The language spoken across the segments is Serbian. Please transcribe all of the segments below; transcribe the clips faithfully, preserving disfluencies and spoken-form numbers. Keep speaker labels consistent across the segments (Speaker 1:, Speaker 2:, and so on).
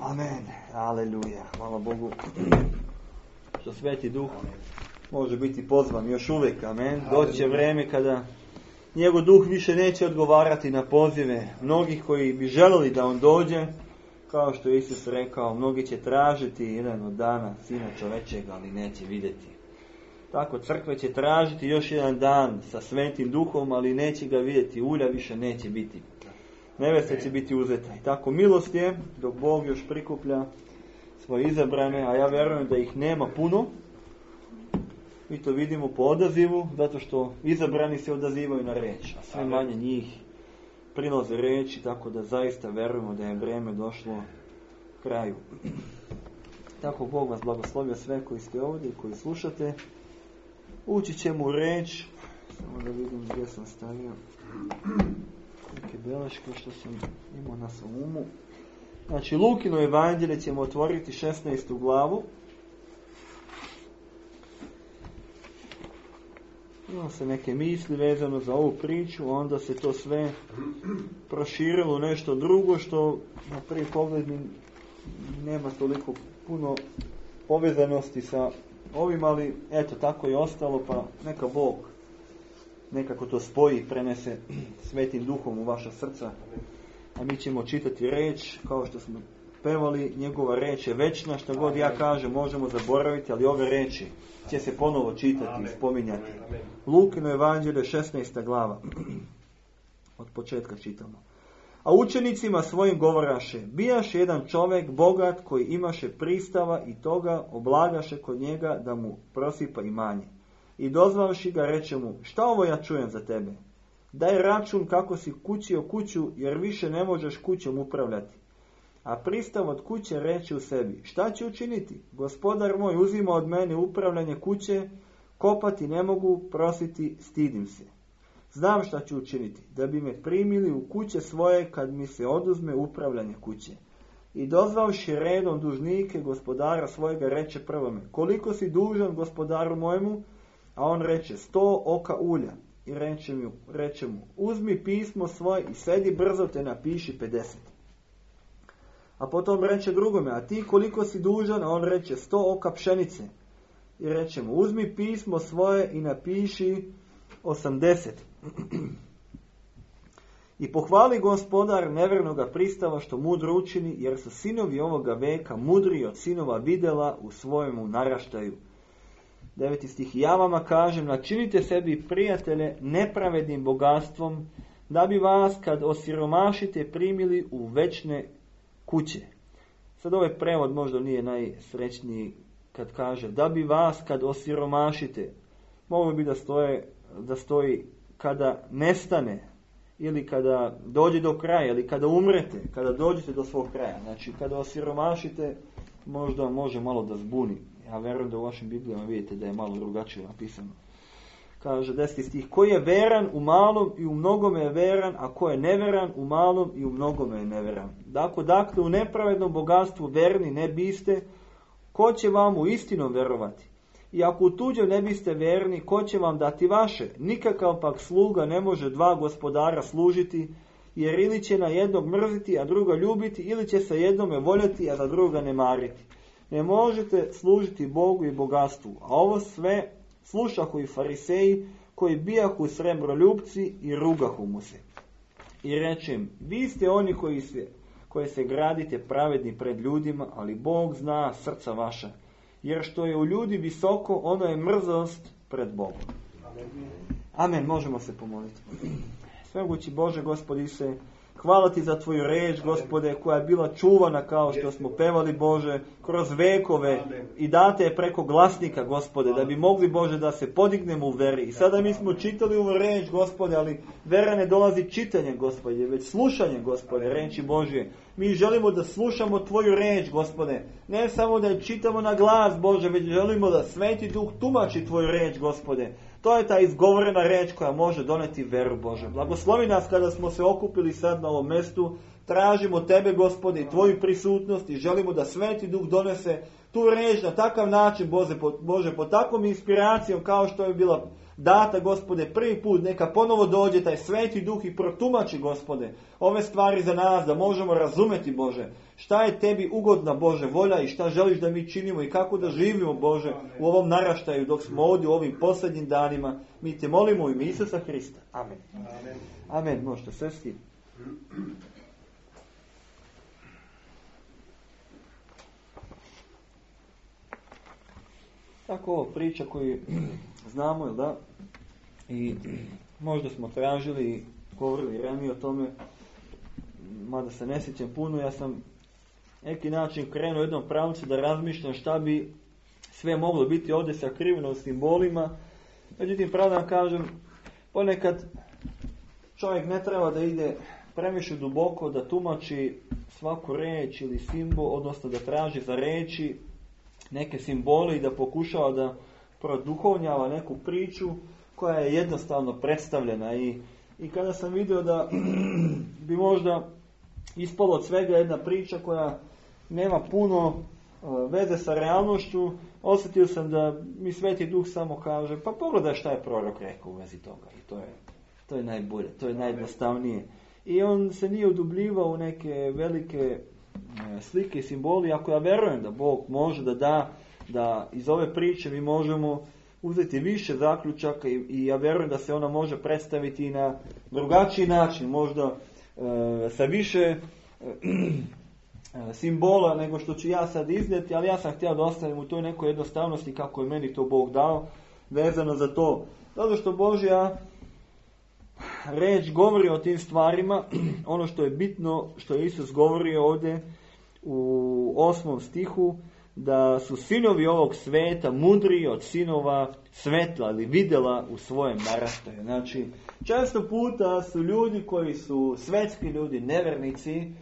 Speaker 1: Amen. Aleluja. Hvala Bogu. Što Sveti Duh može biti pozvan još uvijek. Amen. Doće vrijeme kada njegov duh više neće odgovarati na pozive mnogih koji bi želeli da on dođe. Kao što je Isus rekao, mnogi će tražiti jedan od dana Sina čovečega, ali neće vidjeti. Tako crkve će tražiti još jedan dan sa Svetim Duhom, ali neće ga vidjeti. Ulja više neće biti. Nevesta će biti uzeta. I tako milost je, dok Bog još prikuplja svoje izabrane, a ja vjerujem da ih nema puno. Mi to vidimo po odazivu, zato što izabrani se odazivaju na reč, a sve manje njih prinoze reči, tako da zaista vjerujemo da je vrijeme došlo kraju. Tako Bog vas blagoslovio sve koji ste ovdje i koji slušate. Ući ćemo u reč. Samo da vidim gdje sam stavio neke beleške što sam imao na svom umu. Znači, Lukino evanđelje ćemo otvoriti šesnaestu glavu. Imamo se neke misli vezano za ovu priču, onda se to sve proširilo u nešto drugo što na prvi pogled nema toliko puno povezanosti sa ovim, ali eto, tako je ostalo, pa neka Bog nekako to spoji i prenese Svetim Duhom u vaša srca. A mi ćemo čitati reč, kao što smo pevali, njegova reč je večna, što god ja kažem možemo zaboraviti, ali ove reči će se ponovo čitati i spominjati. Lukino evanđelje, šesnaesta glava. Od početka čitamo. A učenicima svojim govoraše, bijaše jedan čovjek bogat koji imaše pristava i toga oblagaše kod njega da mu prosipa imanje. I dozvavši ga reče mu, šta ovo ja čujem za tebe? Daj račun kako si kućio kuću, jer više ne možeš kućom upravljati. A pristav od kuće reče u sebi, šta će učiniti? Gospodar moj uzima od mene upravljanje kuće, kopati ne mogu, prositi stidim se. Znam šta ću učiniti, da bi me primili u kuće svoje kad mi se oduzme upravljanje kuće. I dozvavši redom dužnike gospodara svojega reče prvome, koliko si dužan gospodaru mojemu? A on reče, sto oka ulja. I reče mu, reče mu, uzmi pismo svoje i sedi brzo te napiši pedeset. A potom reče drugome, a ti koliko si dužan? A on reče, sto oka pšenice. I reče mu, uzmi pismo svoje i napiši osamdeset. I pohvali gospodar nevjernoga pristava što mudro učini, jer su sinovi ovoga veka mudriji od sinova videla u svojemu naraštaju. Deveti stih. Ja vama kažem, načinite sebi prijatelje nepravednim bogatstvom, da bi vas kad osiromašite primili u večne kuće. Sad ovaj prevod možda nije najsrećniji kad kaže, da bi vas kad osiromašite. Moglo bi da, stoje, da stoji kada nestane, ili kada dođe do kraja, ili kada umrete, kada dođete do svog kraja. Znači, kada osiromašite, možda može malo da zbuni. Ja vjerujem da u vašim Biblijama vidite da je malo drugačije napisano. Kaže deseti stih, ko je veran u malom i u mnogome je veran, a ko je neveran u malom i u mnogome je neveran. Dakle, dakle u nepravednom bogatstvu verni ne biste, ko će vam u istinu verovati? I ako u tuđem ne biste verni, ko će vam dati vaše? Nikakav pak sluga ne može dva gospodara služiti, jer ili će na jednog mrziti, a druga ljubiti, ili će se jednome voljeti, a za druga ne mariti. Ne možete služiti Bogu i bogatstvu. A ovo sve slušahu i fariseji, koji bijahu srebroljupci i rugahu mu se. I rečem, vi ste oni koji se, koji se gradite pravedni pred ljudima, ali Bog zna srca vaša. Jer što je u ljudi visoko, ono je mrzost pred Bogom. Amen. Možemo se pomoliti. Svemogući Bože, Gospodi se, hvala ti za tvoju reč, Gospode, koja je bila čuvana kao što smo pevali, Bože, kroz vekove i date je preko glasnika, Gospode, da bi mogli, Bože, da se podignemo u veri. I sada mi smo čitali ovu reč, Gospode, ali vera ne dolazi čitanjem, Gospode, već slušanjem, Gospode, reči Božje. Mi želimo da slušamo tvoju reč, Gospode. Ne samo da je čitamo na glas, Bože, već želimo da Sveti Duh tumači tvoju reč, Gospode. To je ta izgovorena reč koja može doneti veru, Bože. Blagoslovi nas kada smo se okupili sad na ovom mjestu tražimo Tebe, Gospode, i Tvoju prisutnost i želimo da Sveti Duh donese tu riječ na takav način, Bože, po, Bože, po takvom inspiracijom kao što je bila data, Gospode, prvi put, neka ponovo dođe taj Sveti Duh i protumači, Gospode, ove stvari za nas, da možemo razumeti, Bože, šta je Tebi ugodna, Bože, volja i šta želiš da mi činimo i kako da živimo, Bože, u ovom naraštaju dok smo ovdje u ovim posljednjim danima. Mi Te molimo u ime Isusa Hrista. Amen. Amen. Amen. Možete sesti. Tako ovo priča koju znamo, jel da? I možda smo tražili i govorili ranije o tome, mada se ne sjećam puno, ja sam neki način krenuo u jednom pravcu da razmišljam šta bi sve moglo biti ovdje sakriveno u simbolima. Međutim, pravo da vam kažem, ponekad čovjek ne treba da ide previše duboko, da tumači svaku riječ ili simbol, odnosno da traži za riječi neke simbole i da pokušava da produhovnjava neku priču koja je jednostavno predstavljena. I, i kada sam vidio da bi možda ispalo od svega jedna priča koja nema puno uh, veze sa realnošću, osjetio sam da mi Sveti Duh samo kaže, pa pogledaj šta je prorok rekao u vezi toga. I to je, to je najbolje, to je najjednostavnije. I on se nije udubljivao u neke velike uh, slike i simboli, ako ja verujem da Bog može da da, da iz ove priče mi možemo uzeti više zaključaka i, i ja vjerujem da se ona može predstaviti i na drugačiji način, možda uh, sa više simbola nego što ću ja sad iznijeti, ali ja sam htio da ostavim u toj nekoj jednostavnosti kako je meni to Bog dao vezano za to. Zato što Božja reč govori o tim stvarima, ono što je bitno, što je Isus govorio ovdje u osmom stihu, da su sinovi ovog sveta mudriji od sinova svetla ili vidjela u svojem naraštaju. Znači, često puta su ljudi koji su svetski ljudi, nevernici,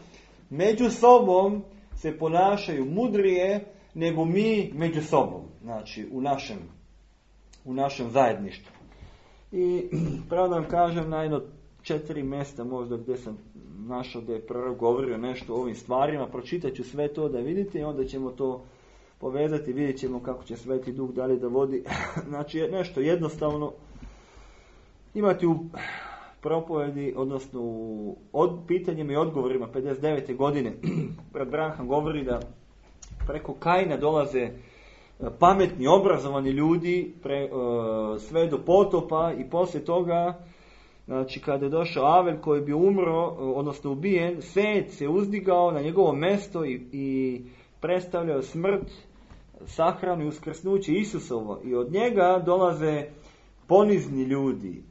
Speaker 1: među sobom se ponašaju mudrije nego mi među sobom, znači u našem, u našem zajedništvu. I pravo da vam kažem, na jedno četiri mjesta možda gdje sam našao da je prorok govorio nešto o ovim stvarima, pročitat ću sve to da vidite i onda ćemo to povezati, vidjet ćemo kako će Sveti Duh dalje da vodi. Znači nešto jednostavno imati u propovedi, odnosno u od, pitanjima i odgovorima pedeset devete godine. Brat Branham govori da preko Kaina dolaze pametni, obrazovani ljudi pre, uh, sve do potopa i poslije toga, znači kada je došao Avel koji bi umro, odnosno ubijen, Set se uzdigao na njegovo mjesto i, i predstavljao smrt, sahranu i uskrsnuće Isusovo. I od njega dolaze ponizni ljudi,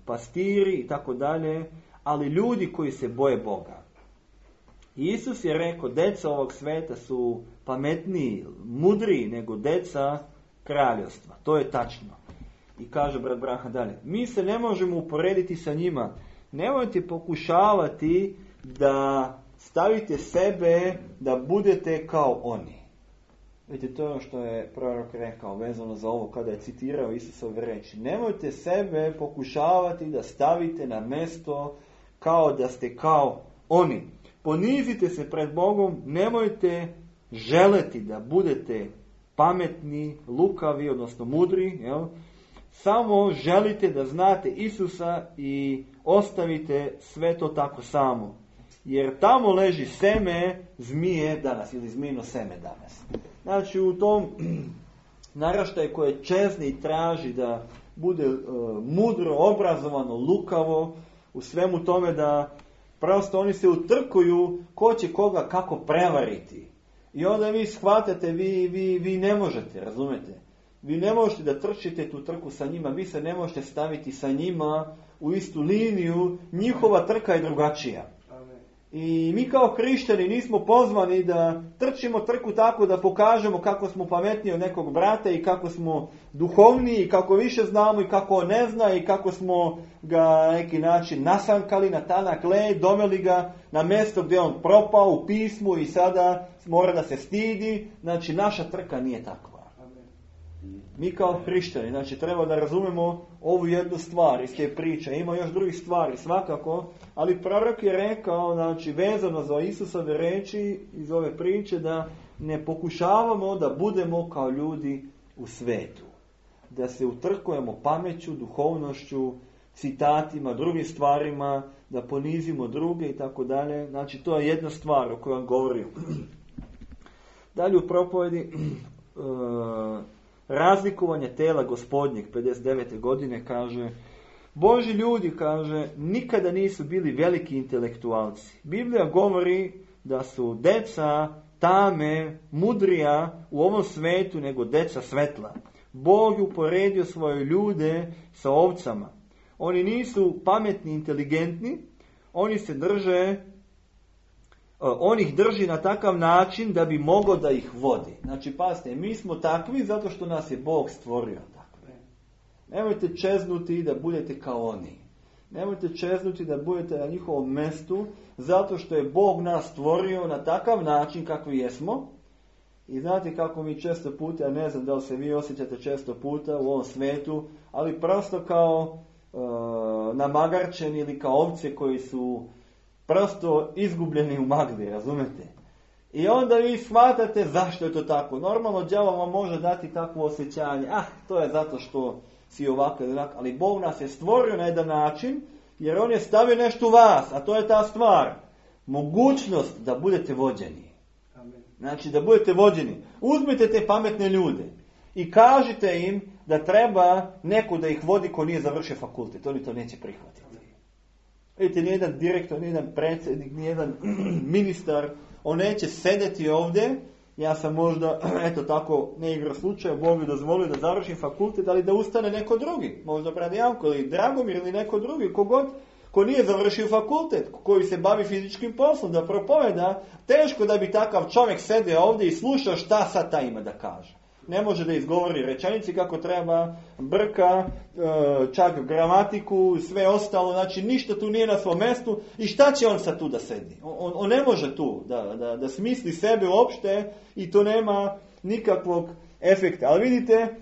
Speaker 1: pastiri i tako dalje, ali ljudi koji se boje Boga. I Isus je rekao, deca ovog sveta su pametniji, mudriji nego deca kraljevstva. To je tačno. I kaže brat Branham dalje, mi se ne možemo uporediti sa njima. Nemojte pokušavati da stavite sebe da budete kao oni. Vidite, to je ono što je prorok rekao vezano za ovo kada je citirao Isusove reči. Nemojte sebe pokušavati da stavite na mjesto kao da ste kao oni. Ponizite se pred Bogom, nemojte želeti da budete pametni, lukavi, odnosno mudri, jel? Samo želite da znate Isusa i ostavite sve to tako samo. Jer tamo leži seme zmije danas, ili zmijino seme danas. Znači u tom naraštaju koje čezni i traži da bude uh, mudro, obrazovano, lukavo, u svemu tome da prosto oni se utrkuju ko će koga kako prevariti. I onda vi shvatate, vi, vi, vi ne možete, razumete? Vi ne možete da trčite tu trku sa njima, vi se ne možete staviti sa njima u istu liniju, njihova trka je drugačija. I mi kao hrišćani nismo pozvani da trčimo trku tako da pokažemo kako smo pametniji od nekog brata i kako smo duhovniji i kako više znamo i kako on ne zna i kako smo ga na neki način nasankali na tanak led, doveli ga na mjesto gdje on propao u pismu i sada mora da se stidi. Znači naša trka nije takva. Mi kao hrišćani, znači treba da razumemo ovu jednu stvar iz te priče. Ima još drugih stvari, svakako, ali prorok je rekao, znači vezano za Isusove reči iz ove priče, da ne pokušavamo da budemo kao ljudi u svetu. Da se utrkujemo pameću, duhovnošću, citatima, drugim stvarima, da ponizimo druge i tako dalje. Znači to je jedna stvar o kojoj vam govorim. Dalje u propovedi razlikovanje tela Gospodnjeg pedeset devete godine kaže: Božji ljudi, kaže, nikada nisu bili veliki intelektualci. Biblija govori da su deca tame, mudrija u ovom svetu nego deca svetla. Bog je uporedio svoje ljude sa ovcama. Oni nisu pametni, inteligentni, oni se drže, on ih drži na takav način da bi mogao da ih vodi. Znači, pazite, mi smo takvi zato što nas je Bog stvorio takve. Nemojte čeznuti da budete kao oni. Nemojte čeznuti da budete na njihovom mestu zato što je Bog nas stvorio na takav način kakvi jesmo. I znate kako mi često puta, ja ne znam da li se vi osjećate često puta u ovom svetu, ali prosto kao e, namagarčeni ili kao ovce koji su prosto izgubljeni u magli, razumete? I onda vi shvatate zašto je to tako. Normalno đavo vam može dati takvo osjećanje, ah, to je zato što si ovako ili onako, ali Bog nas je stvorio na jedan način, jer On je stavio nešto u vas, a to je ta stvar, mogućnost da budete vođeni. Znači da budete vođeni. Uzmite te pametne ljude i kažite im da treba neko da ih vodi ko nije završio fakultet. Oni to neće prihvatiti. Vidite, nijedan direktor, nijedan predsjednik, nijedan ministar, on neće sedeti ovdje. Ja sam možda, eto tako, ne igra slučaja, Bog je dozvolio da završim fakultet, ali da ustane neko drugi. Možda brat Janko ili Dragomir ili neko drugi, kogod ko nije završio fakultet, koji se bavi fizičkim poslom, da propoveda, teško da bi takav čovjek sede ovdje i slušao šta sad ta ima da kaže. Ne može da izgovori rečenici kako treba, brka, čak gramatiku, sve ostalo, znači ništa tu nije na svom mjestu i šta će on sad tu da sedi? On, on ne može tu da, da, da smisli sebe uopšte i to nema nikakvog efekta. Ali vidite,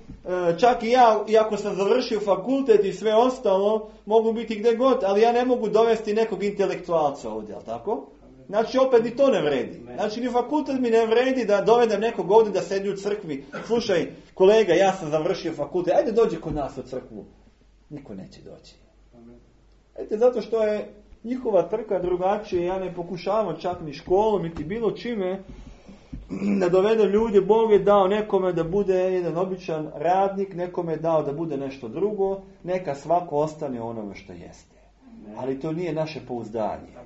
Speaker 1: čak i ja, iako sam završio fakultet i sve ostalo, mogu biti gdje god, ali ja ne mogu dovesti nekog intelektualca ovdje, jel tako? Znači opet ni to ne vredi. Znači ni fakultet mi ne vredi da dovedem nekog ovdje da sedi u crkvi. Slušaj, kolega, ja sam završio fakultet, ajde dođi kod nas u crkvu. Niko neće doći. Ajde, zato što je njihova trka drugačija, ja ne pokušavam čak ni školom, niti bilo čime da dovedem ljude. Bog je dao nekome da bude jedan običan radnik, nekome je dao da bude nešto drugo, neka svako ostane onome što jeste. Ali to nije naše pouzdanje.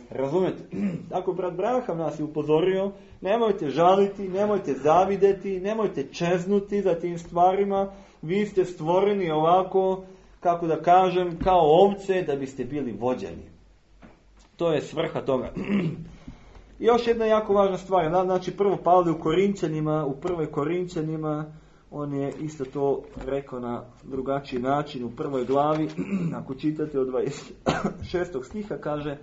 Speaker 1: Razumete? Tako brat Braham nas je upozorio, nemojte žaliti, nemojte zavideti, nemojte čeznuti za tim stvarima, vi ste stvoreni ovako, kako da kažem, kao ovce da biste bili vođeni. To je svrha toga. I još jedna jako važna stvar, znači prvo Pavle u Korinćanima, u prvoj Korinćanima, on je isto to rekao na drugačiji način u prvoj glavi, ako čitate od dvadeset šestog stiha kaže: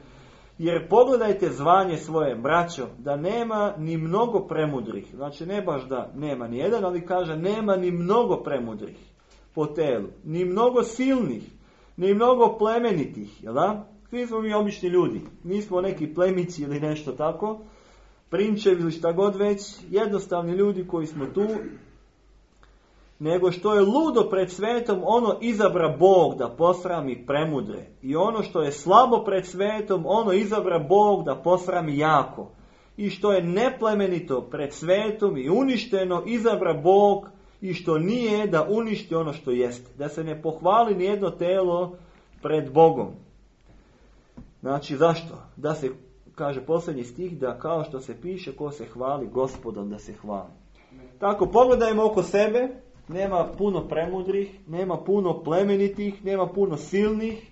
Speaker 1: jer pogledajte zvanje svoje, braćo, da nema ni mnogo premudrih. Znači ne baš da nema ni jedan, ali kaže nema ni mnogo premudrih po telu. Ni mnogo silnih, ni mnogo plemenitih. Jel da? Svi smo mi obični ljudi. Nismo neki plemići ili nešto tako. Prinčevi ili šta god već. Jednostavni ljudi koji smo tu. Nego što je ludo pred svetom, ono izabra Bog da posrami premudre. I ono što je slabo pred svetom, ono izabra Bog da posrami jako. I što je neplemenito pred svetom i uništeno, izabra Bog i što nije da uništi ono što jeste. Da se ne pohvali nijedno telo pred Bogom. Znači zašto? Da se, kaže posljednji stih, da kao što se piše, ko se hvali Gospodom da se hvali. Tako, pogledajmo oko sebe. Nema puno premudrih, nema puno plemenitih, nema puno silnih.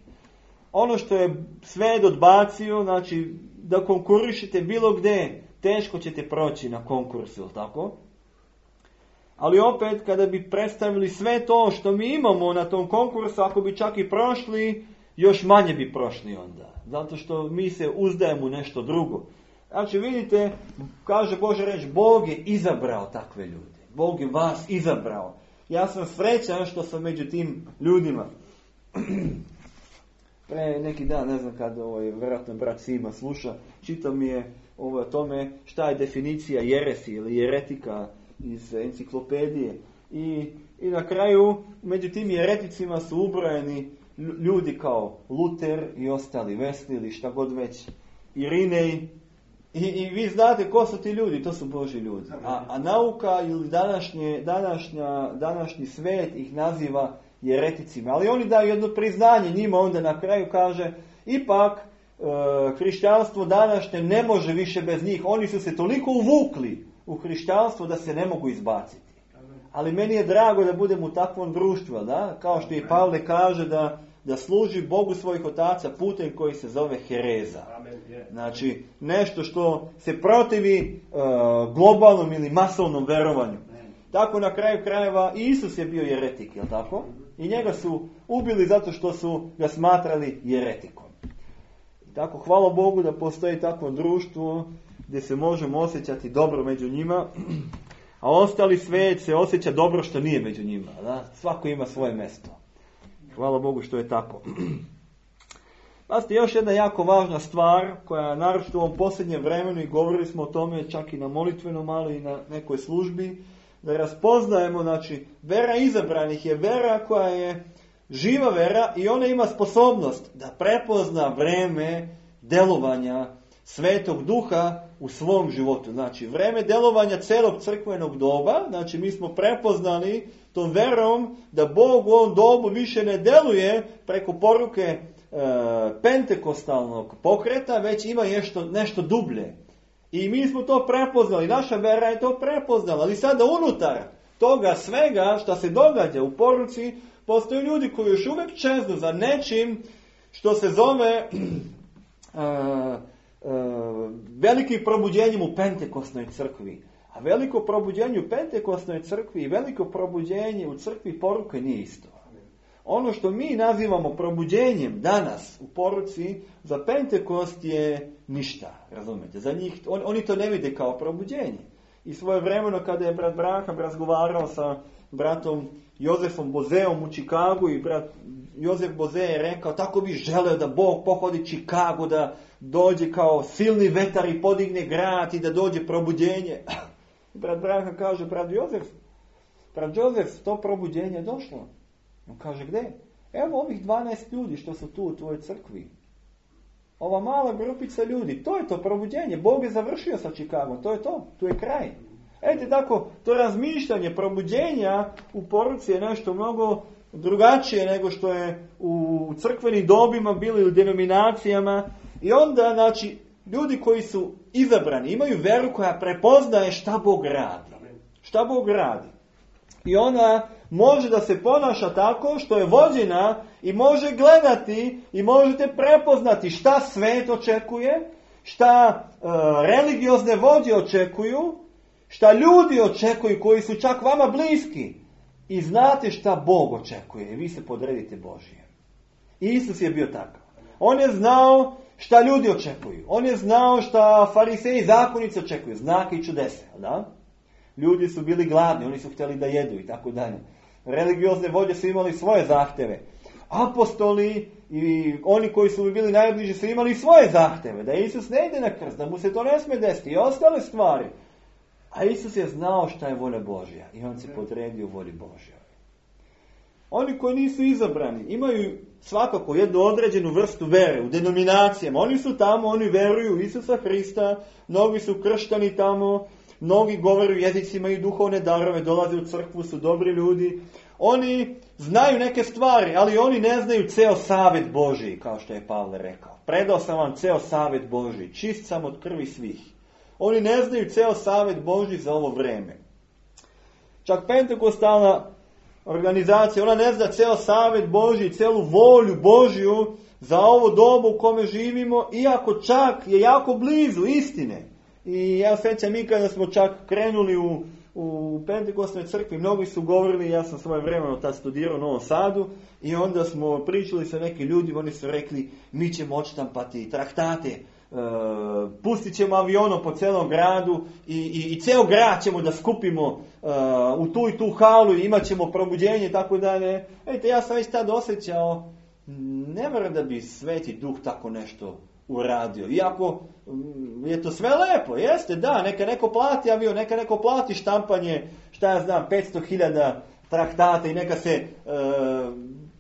Speaker 1: Ono što je svet odbacio, znači da konkurišete bilo gdje, teško ćete proći na konkursu, tako? Ali opet, kada bi predstavili sve to što mi imamo na tom konkursu, ako bi čak i prošli, još manje bi prošli onda. Zato što mi se uzdajemo u nešto drugo. Znači vidite, kaže Božja reč, Bog je izabrao takve ljude. Bog je vas izabrao. Ja sam srećan što sam među tim ljudima. Pre neki dan, ne znam kad, ovaj, vjerojatno brat Sima sluša, čitao mi je ovo, o tome šta je definicija jeresi ili jeretika iz enciklopedije. I, i na kraju, među tim jereticima su ubrojeni ljudi kao Luter i ostali, Wesley ili šta god već, Irinej. I, I vi znate ko su ti ljudi, to su Božji ljudi. A, a nauka ili današnje, današnja, današnji svet ih naziva jereticima. Ali oni daju jedno priznanje njima, onda na kraju kaže, ipak e, hrišćanstvo današnje ne može više bez njih. Oni su se toliko uvukli u hrišćanstvo da se ne mogu izbaciti. Ali meni je drago da budem u takvom društvu, da? Kao što i Pavle kaže da, da služi Bogu svojih otaca putem koji se zove hereza. Znači, nešto što se protivi uh, globalnom ili masovnom verovanju. Tako na kraju krajeva Isus je bio jeretik, jel tako? I njega su ubili zato što su ga smatrali jeretikom. I tako, hvala Bogu da postoji takvo društvo gdje se možemo osjećati dobro među njima, a ostali svijet se osjeća dobro što nije među njima. Da? Svako ima svoje mjesto. Hvala Bogu što je tako. Pazite, još jedna jako važna stvar koja naročito u ovom posljednjem vremenu, i govorili smo o tome čak i na molitvenom, malo i na nekoj službi, da raspoznajemo, znači, vera izabranih je vera koja je živa vera i ona ima sposobnost da prepozna vreme delovanja Svetog Duha u svom životu. Znači, vreme delovanja celog crkvenog doba, znači mi smo prepoznali tom verom da Bog u ovom dobu više ne deluje preko poruke e, pentekostalnog pokreta, već ima nešto, nešto dublje. I mi smo to prepoznali, naša vera je to prepoznala, ali sada unutar toga svega što se događa u poruci, postoje ljudi koji još uvijek čeznu za nečim što se zove uh, uh, velikim probuđenjem u Pentekosnoj crkvi. A veliko probuđenje u Pentekosnoj crkvi i veliko probuđenje u crkvi poruke nije isto. Ono što mi nazivamo probuđenjem danas u poruci, za Pentekost je ništa, razumijete? Za njih, on, oni to ne vide kao probuđenje. I svoje vremeno kada je brat Braham razgovarao sa bratom Jozefom Bozeom u Čikagu i brat Jozef Boze je rekao, tako bi želeo da Bog pohodi Čikagu, da dođe kao silni vetar i podigne grad i da dođe probuđenje. Brat Braham kaže, brat Jozef, brat Jozef, to probuđenje je došlo. On kaže, gdje? Evo ovih dvanaest ljudi što su tu u tvojoj crkvi. Ova mala grupica ljudi, to je to probuđenje. Bog je završio sa Čikagom, to je to, tu je kraj. Ete tako, to razmišljanje probuđenja u poruci je nešto mnogo drugačije nego što je u crkvenim dobima bili u denominacijama. I onda, znači, ljudi koji su izabrani imaju veru koja prepoznaje šta Bog radi. Šta Bog radi. I ona može da se ponaša tako što je vođena i može gledati i možete prepoznati šta svet očekuje, šta e, religiozne vođe očekuju, šta ljudi očekuju koji su čak vama bliski. I znate šta Bog očekuje i vi se podredite Božije. Isus je bio takav. On je znao šta ljudi očekuju. On je znao šta fariseji i zakonici očekuju. Znake i čudese, da? Ljudi su bili gladni, oni su htjeli da jedu i tako dalje. Religiozne vođe su imali svoje zahteve. Apostoli i oni koji su bili najbliži su imali svoje zahteve. Da Isus ne ide na krst, da mu se to ne smije desiti i ostale stvari. A Isus je znao šta je volja Božja i on se podredio volji Božjoj. Oni koji nisu izabrani imaju svakako jednu određenu vrstu vere u denominacijama. Oni su tamo, oni veruju u Isusa Hrista, mnogi su krštani tamo, mnogi govore u jezicima i duhovne darove, dolaze u crkvu, su dobri ljudi. Oni znaju neke stvari, ali oni ne znaju ceo savjet Božji, kao što je Pavle rekao. Predao sam vam ceo savjet Božji, čist sam od krvi svih. Oni ne znaju ceo savjet Božji za ovo vreme. Čak pentekostalna organizacija, ona ne zna ceo savjet Božji, celu volju Božju za ovo dobu u kome živimo, iako čak je jako blizu istine. I ja sjećam mi kada smo čak krenuli u, u Pentekosnoj crkvi, mnogi su govorili, ja sam svoje vremeno tad studirao u Novom Sadu, i onda smo pričali sa nekim ljudima, oni su rekli, mi ćemo odštampati traktate pustit ćemo avionom po celom gradu i, i, i ceo grad ćemo da skupimo uh, u tu i tu halu i imat ćemo probuđenje i tako dalje. Ejte, ja sam već tad osjećao, ne vjerujem da bi Sveti Duh tako nešto uradio. Iako je to sve lepo, jeste, da, neka neko plati avion, neka neko plati štampanje, šta ja znam, petsto hiljada traktata i neka se uh,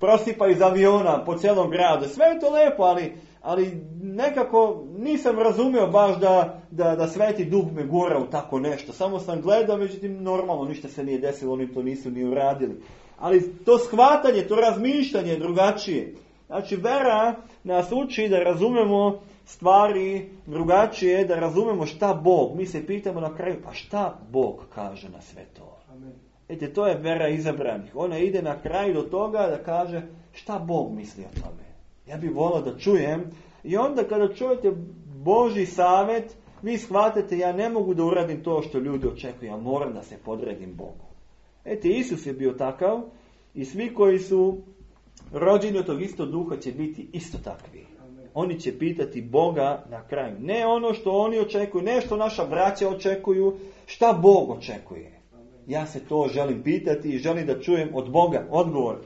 Speaker 1: prosipa iz aviona po celom gradu. Sve je to lepo, ali ali nekako nisam razumio baš da, da, da Sveti Duh me gura u tako nešto. Samo sam gledao, međutim normalno ništa se nije desilo, oni to nisu ni uradili. Ali to shvatanje, to razmišljanje je drugačije. Znači vera nas uči da razumemo stvari drugačije, da razumemo šta Bog. Mi se pitamo na kraju, pa šta Bog kaže na sve to? Ete, to je vera izabranih. Ona ide na kraju do toga da kaže šta Bog misli o tome. Ja bih volio da čujem i onda kada čujete Božji savjet, vi shvatite ja ne mogu da uradim to što ljudi očekuju, ja moram da se podredim Bogu. Ete, Isus je bio takav i svi koji su rođeni od tog istog duha će biti isto takvi. Oni će pitati Boga na kraju. Ne ono što oni očekuju, ne što naša braća očekuju, šta Bog očekuje. Ja se to želim pitati i želim da čujem od Boga odgovor.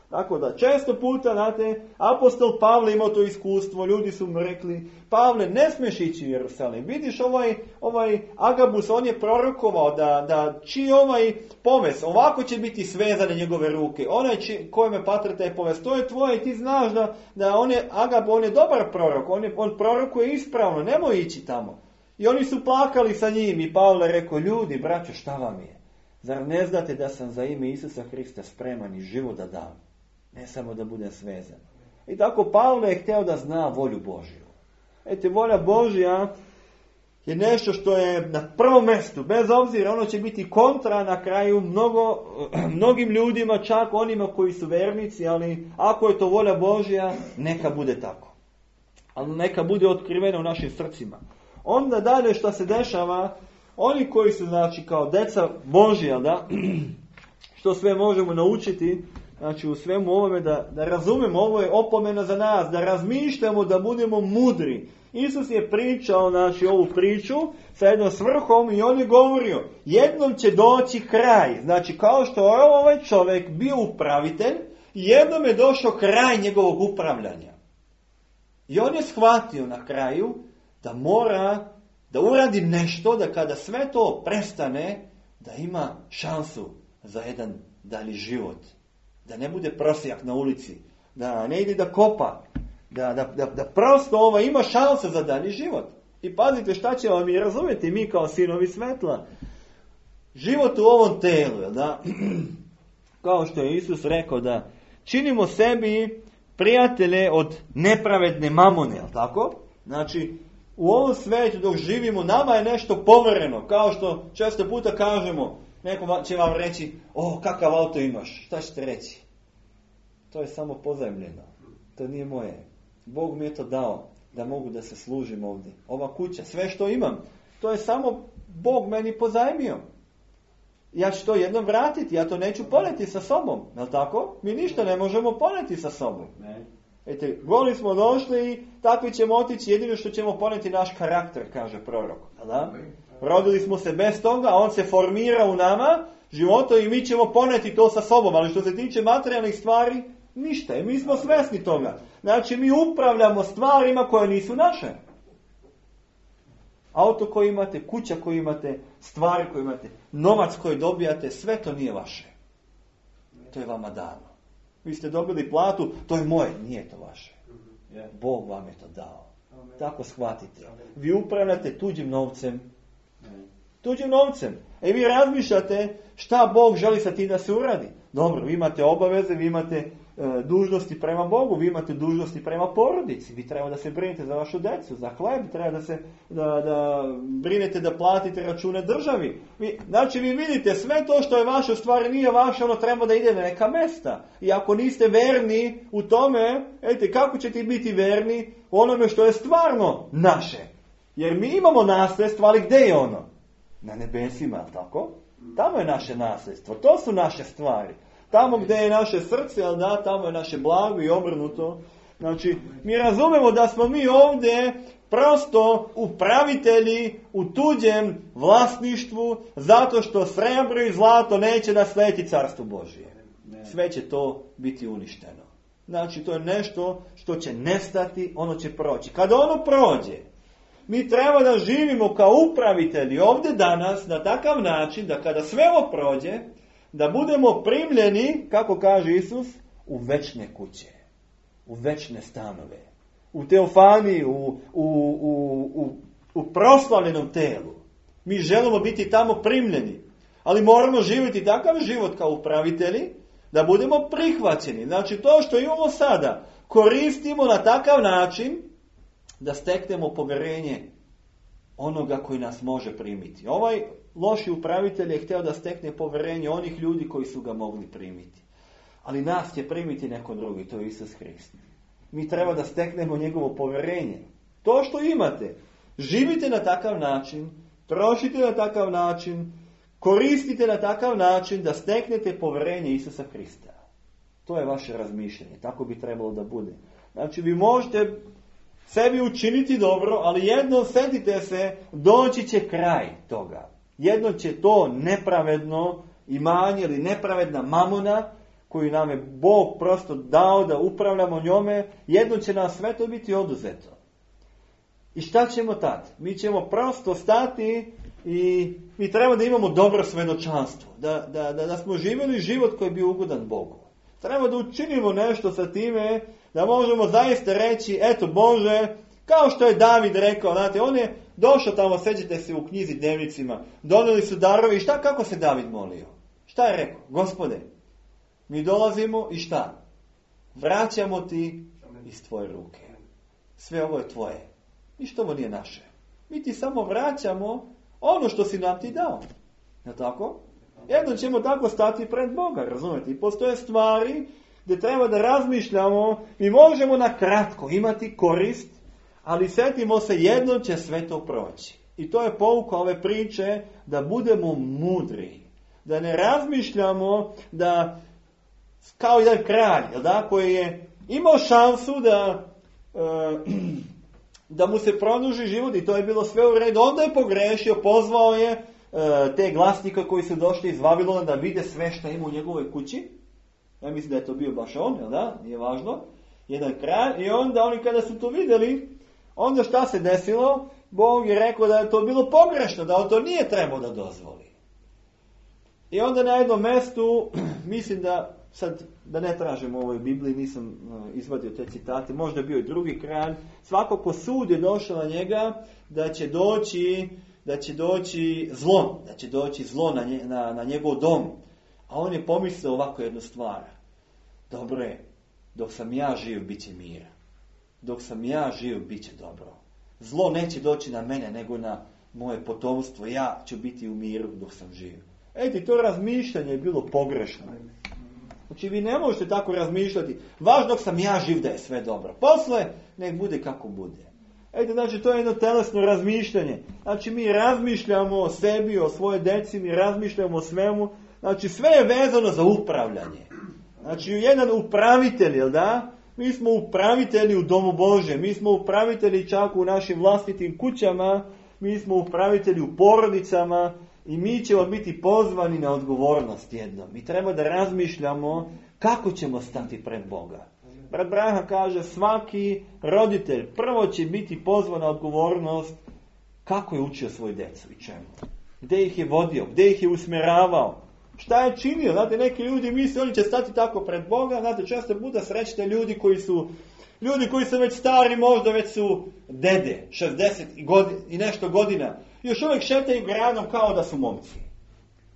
Speaker 1: Tako da, često puta, znate, apostol Pavle imao to iskustvo, ljudi su mu rekli, Pavle, ne smiješ ići u Jerusalim. Vidiš, ovaj, ovaj Agabus, on je prorokovao da, da čiji ovaj poves, ovako će biti svezane njegove ruke. Onaj kojeme patra taj poves, to je tvoje i ti znaš da, da on je, Agab, on je dobar prorok, on, je, on prorokuje ispravno, nemoj ići tamo. I oni su plakali sa njim i Pavle rekao, ljudi, braćo, šta vam je? Zar ne znate da sam za ime Isusa Hrista spreman i život da dam? Ne samo da bude svezan. I tako Pavle je htio da zna volju Božju. Ete, volja Božja je nešto što je na prvom mjestu. Bez obzira, ono će biti kontra na kraju mnogo, mnogim ljudima, čak onima koji su vernici, ali ako je to volja Božja, neka bude tako. Ali neka bude otkrivena u našim srcima. Onda dalje što se dešava, oni koji su, znači, kao deca Božja, da, što sve možemo naučiti, znači u svemu ovome da, da razumemo, ovo je opomena za nas, da razmišljamo, da budemo mudri. Isus je pričao, znači, ovu priču sa jednom svrhom i on je govorio, jednom će doći kraj. Znači, kao što je ovaj čovjek bio upravitelj, jednom je došao kraj njegovog upravljanja. I on je shvatio na kraju da mora da uradi nešto, da kada sve to prestane, da ima šansu za jedan dalji život. Da ne bude prosjak na ulici, da ne ide da kopa, da, da, da, da prosto ovo ima šanse za dalji život. I pazite šta će vam i razumjeti mi kao sinovi svetla. Život u ovom telu, da, kao što je Isus rekao, da činimo sebi prijatelje od nepravedne mamone, jel tako? Znači, u ovom svetu dok živimo, nama je nešto povereno, kao što često puta kažemo, neko će vam reći, o, kakav auto imaš, šta ćete reći? To je samo pozajmljeno, to nije moje. Bog mi je to dao, da mogu da se služim ovdje. Ova kuća, sve što imam, to je samo Bog meni pozajmio. Ja ću to jednom vratiti, ja to neću poneti sa sobom, je li tako? Mi ništa ne možemo poneti sa sobom. Ne. Ete, goli smo došli i takvi ćemo otići, jedino što ćemo poneti naš karakter, kaže prorok. Da? Rodili smo se bez toga, a on se formira u nama, životo, i mi ćemo poneti to sa sobom. Ali što se tiče materijalnih stvari, ništa. I mi smo svjesni toga. Znači, mi upravljamo stvarima koje nisu naše. Auto koji imate, kuća koju imate, stvari koje imate, novac koji dobijate, sve to nije vaše. To je vama dano. Vi ste dobili platu, to je moje, nije to vaše. Bog vam je to dao. Tako shvatite. Vi upravljate tuđim novcem. Tuđim novcem. E vi razmišljate šta Bog želi sa tim da se uradi. Dobro, vi imate obaveze, vi imate e, dužnosti prema Bogu, vi imate dužnosti prema porodici. Vi treba da se brinete za vašu decu, za hleb, treba da se da, da brinete da platite račune državi. Vi, znači vi vidite, sve to što je vaše, u stvari nije vaše, ono treba da ide na neka mesta. I ako niste verni u tome, ejte, kako ćete biti verni u onome što je stvarno naše? Jer mi imamo nasljedstvo, ali gdje je ono? Na nebesima, tako? Tamo je naše nasljedstvo, to su naše stvari. Tamo gdje je naše srce, ali da, tamo je naše blago i obrnuto. Znači, mi razumemo da smo mi ovdje prosto upravitelji u tuđem vlasništvu, zato što srebro i zlato neće nasljediti carstvo Božije. Sve će to biti uništeno. Znači, to je nešto što će nestati, ono će proći. Kada ono prođe, mi treba da živimo kao upravitelji ovdje danas na takav način da kada sve ovo prođe, da budemo primljeni, kako kaže Isus, u večne kuće, u večne stanove, u teofaniji, u, u, u, u, u proslavljenom telu. Mi želimo biti tamo primljeni, ali moramo živjeti takav život kao upravitelji, da budemo prihvaćeni. Znači, to što imamo sada, koristimo na takav način da steknemo povjerenje onoga koji nas može primiti. Ovaj loši upravitelj je htio da stekne povjerenje onih ljudi koji su ga mogli primiti. Ali nas će primiti neko drugi, to je Isus Hrist. Mi treba da steknemo njegovo povjerenje. To što imate, živite na takav način, trošite na takav način, koristite na takav način da steknete povjerenje Isusa Hrista. To je vaše razmišljanje. Tako bi trebalo da bude. Znači, vi možete sebi učiniti dobro, ali jednom setite se, doći će kraj toga. Jedno će to nepravedno imanje ili nepravedna mamona, koju nam je Bog prosto dao da upravljamo njome, jedno će nam sve to biti oduzeto. I šta ćemo tad? Mi ćemo prosto stati i mi treba da imamo dobro svedočanstvo. Da, da, da, da smo živjeli život koji bi ugodan Bogu. Treba da učinimo nešto sa time, da možemo zaista reći, eto Bože, kao što je David rekao, znate, on je došao tamo, sećate se u knjizi Dnevnicima, donijeli su darovi i šta, kako se David molio? Šta je rekao? Gospode, mi dolazimo i šta? Vraćamo ti iz tvoje ruke. Sve ovo je tvoje. Ništa ovo nije naše. Mi ti samo vraćamo ono što si nam ti dao. Je tako? Jedno ćemo tako stati pred Boga, razumijete? I postoje stvari gdje treba da razmišljamo, mi možemo na kratko imati korist, ali setimo se, jednom će sve to proći. I to je pouka ove priče, da budemo mudri. Da ne razmišljamo da, kao jedan kralj, da, koji je imao šansu da, e, da mu se produži život i to je bilo sve u redu. Onda je pogrešio, pozvao je e, te glasnike koji su došli iz Vavilona da vide sve što ima u njegovoj kući. Ja mislim da je to bio baš on, jel da? Nije važno. Jedan kralj. I onda oni kada su to vidjeli, onda šta se desilo? Bog je rekao da je to bilo pogrešno, da on to nije trebao da dozvoli. I onda na jednom mjestu, mislim da, sad da ne tražim u ovoj Bibliji, nisam uh, izvadio te citate, možda je bio i drugi kralj, svakako sud je došao na njega da će doći, da će doći zlo, da će doći zlo na, nje, na, na njegov dom. A on je pomislio ovako jednu stvar. Dobro je, dok sam ja živ, bit će mir. Dok sam ja živ, bit će dobro. Zlo neće doći na mene, nego na moje potomstvo. Ja ću biti u miru dok sam živ. Eti, to razmišljanje je bilo pogrešno. Znači, vi ne možete tako razmišljati. Važno dok sam ja živ da je sve dobro. Posle, nek bude kako bude. Eti, znači, to je jedno telesno razmišljanje. Znači, mi razmišljamo o sebi, o svoje deci, mi razmišljamo o svemu. Znači, sve je vezano za upravljanje. Znači, jedan upravitelj, jel da? Mi smo upravitelji u domu Bože, mi smo upravitelji čak u našim vlastitim kućama, mi smo upravitelji u porodicama i mi ćemo biti pozvani na odgovornost jednom. Mi treba da razmišljamo kako ćemo stati pred Boga. Brat Branham kaže, svaki roditelj prvo će biti pozvan na odgovornost kako je učio svoju djecu i čemu. Gdje ih je vodio, gdje ih je usmjeravao. Šta je činio? Znate, neki ljudi misle, oni će stati tako pred Boga. Znate, često puta srećete ljudi koji su, ljudi koji su već stari, možda već su dede, šezdeset i nešto godina. Još uvijek šetaju gradom kao da su momci.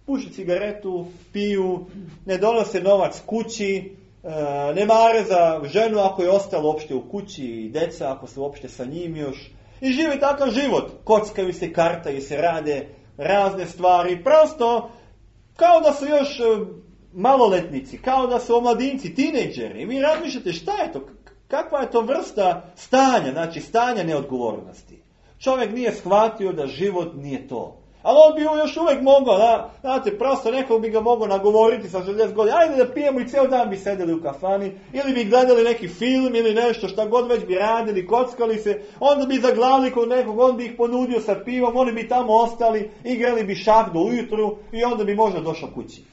Speaker 1: Puši cigaretu, piju, ne donose novac kući, ne mare za ženu ako je ostalo uopšte u kući i deca ako su uopšte sa njim još. I žive takav život. Kockaju se, kartaju se, rade razne stvari. Prosto kao da su još maloletnici, kao da su omladinci, tinejdžeri. I vi razmišljate šta je to, kakva je to vrsta stanja, znači stanja neodgovornosti. Čovjek nije shvatio da život nije to. Ali on bi još uvijek mogao, da, znate, prosto nekog bi ga mogao nagovoriti sa šezdeset godina, ajde da pijemo i cijel dan bi sedeli u kafani, ili bi gledali neki film ili nešto, šta god već bi radili, kockali se, onda bi zaglavili kod nekog, on bi ih ponudio sa pivom, oni bi tamo ostali, igrali bi šah do ujutru i onda bi možda došao kući.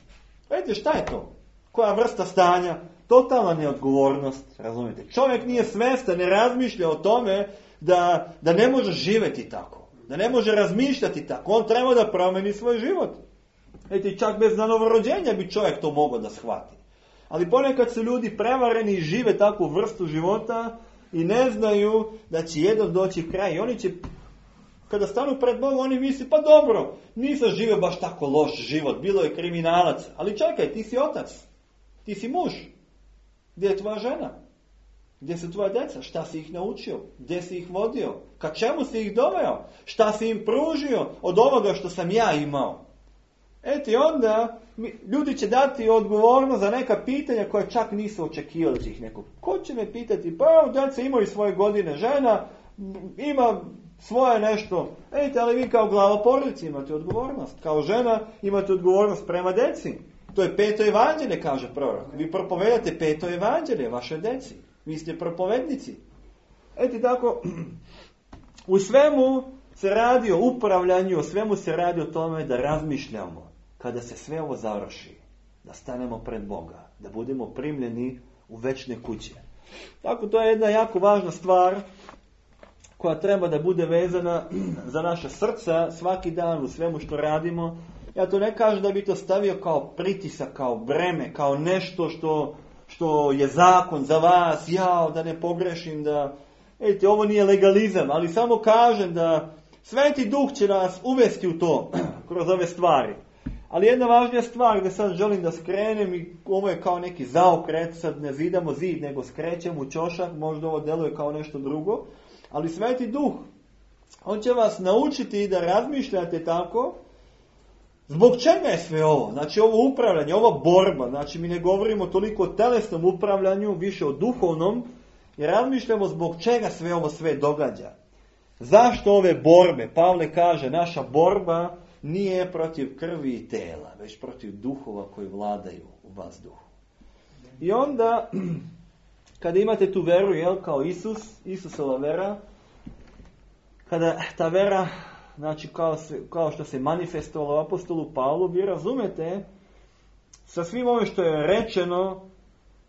Speaker 1: Vidite, šta je to? Koja vrsta stanja? Totalna neodgovornost, razumijete? Čovjek nije svestan, ne razmišlja o tome da, da ne može živjeti tako. Da ne može razmišljati tako. On treba da promeni svoj život. Vidite, čak bez novorođenja bi čovjek to mogao da shvati. Ali ponekad su ljudi prevareni i žive takvu vrstu života i ne znaju da će jednom doći kraj. I oni će, kada stanu pred Bogom, oni misli, pa dobro, nisam živio baš tako loš život, bilo je kriminalac. Ali čekaj, ti si otac, ti si muž. Gdje je tvoja žena? Gdje su tvoja djeca? Šta si ih naučio? Gdje si ih vodio? Ka čemu si ih doveo? Šta si im pružio od ovoga što sam ja imao? Eto i onda ljudi će dati odgovornost za neka pitanja koje čak nisu očekivali da će ih neko. Ko će me pitati? Pa djeca imaju svoje godine, žena ima svoje nešto. Eto, ali vi kao glava porodice imate odgovornost. Kao žena imate odgovornost prema djeci. To je peto evanđelje, kaže prorok. Vi propovedate peto evanđelje vašoj djeci. Vi ste propovednici. Eto tako, u svemu se radi o upravljanju, o svemu se radi o tome da razmišljamo kada se sve ovo završi, da stanemo pred Boga, da budemo primljeni u večne kuće. Tako, to je jedna jako važna stvar koja treba da bude vezana za naše srca svaki dan u svemu što radimo. Ja to ne kažem da bi to stavio kao pritisak, kao breme, kao nešto što... što je zakon za vas, jao, da ne pogrešim, da... Vidite, ovo nije legalizam, ali samo kažem da Sveti Duh će nas uvesti u to, kroz ove stvari. Ali jedna važnija stvar gdje sad želim da skrenem, i ovo je kao neki zaokret, sad ne zidamo zid, nego skrećemo u ćošak, možda ovo deluje kao nešto drugo, ali Sveti Duh, on će vas naučiti da razmišljate tako. Zbog čega je sve ovo? Znači ovo upravljanje, ova borba, znači mi ne govorimo toliko o telesnom upravljanju, više o duhovnom, i razmišljamo zbog čega sve ovo sve događa. Zašto ove borbe? Pavle kaže, naša borba nije protiv krvi i tela, već protiv duhova koji vladaju u vazduhu. I onda, kada imate tu veru, jel, kao Isus, Isusova vera, kada ta vera, znači kao, se, kao što se manifestovalo apostolu Pavlu, vi razumete sa svim ovim što je rečeno,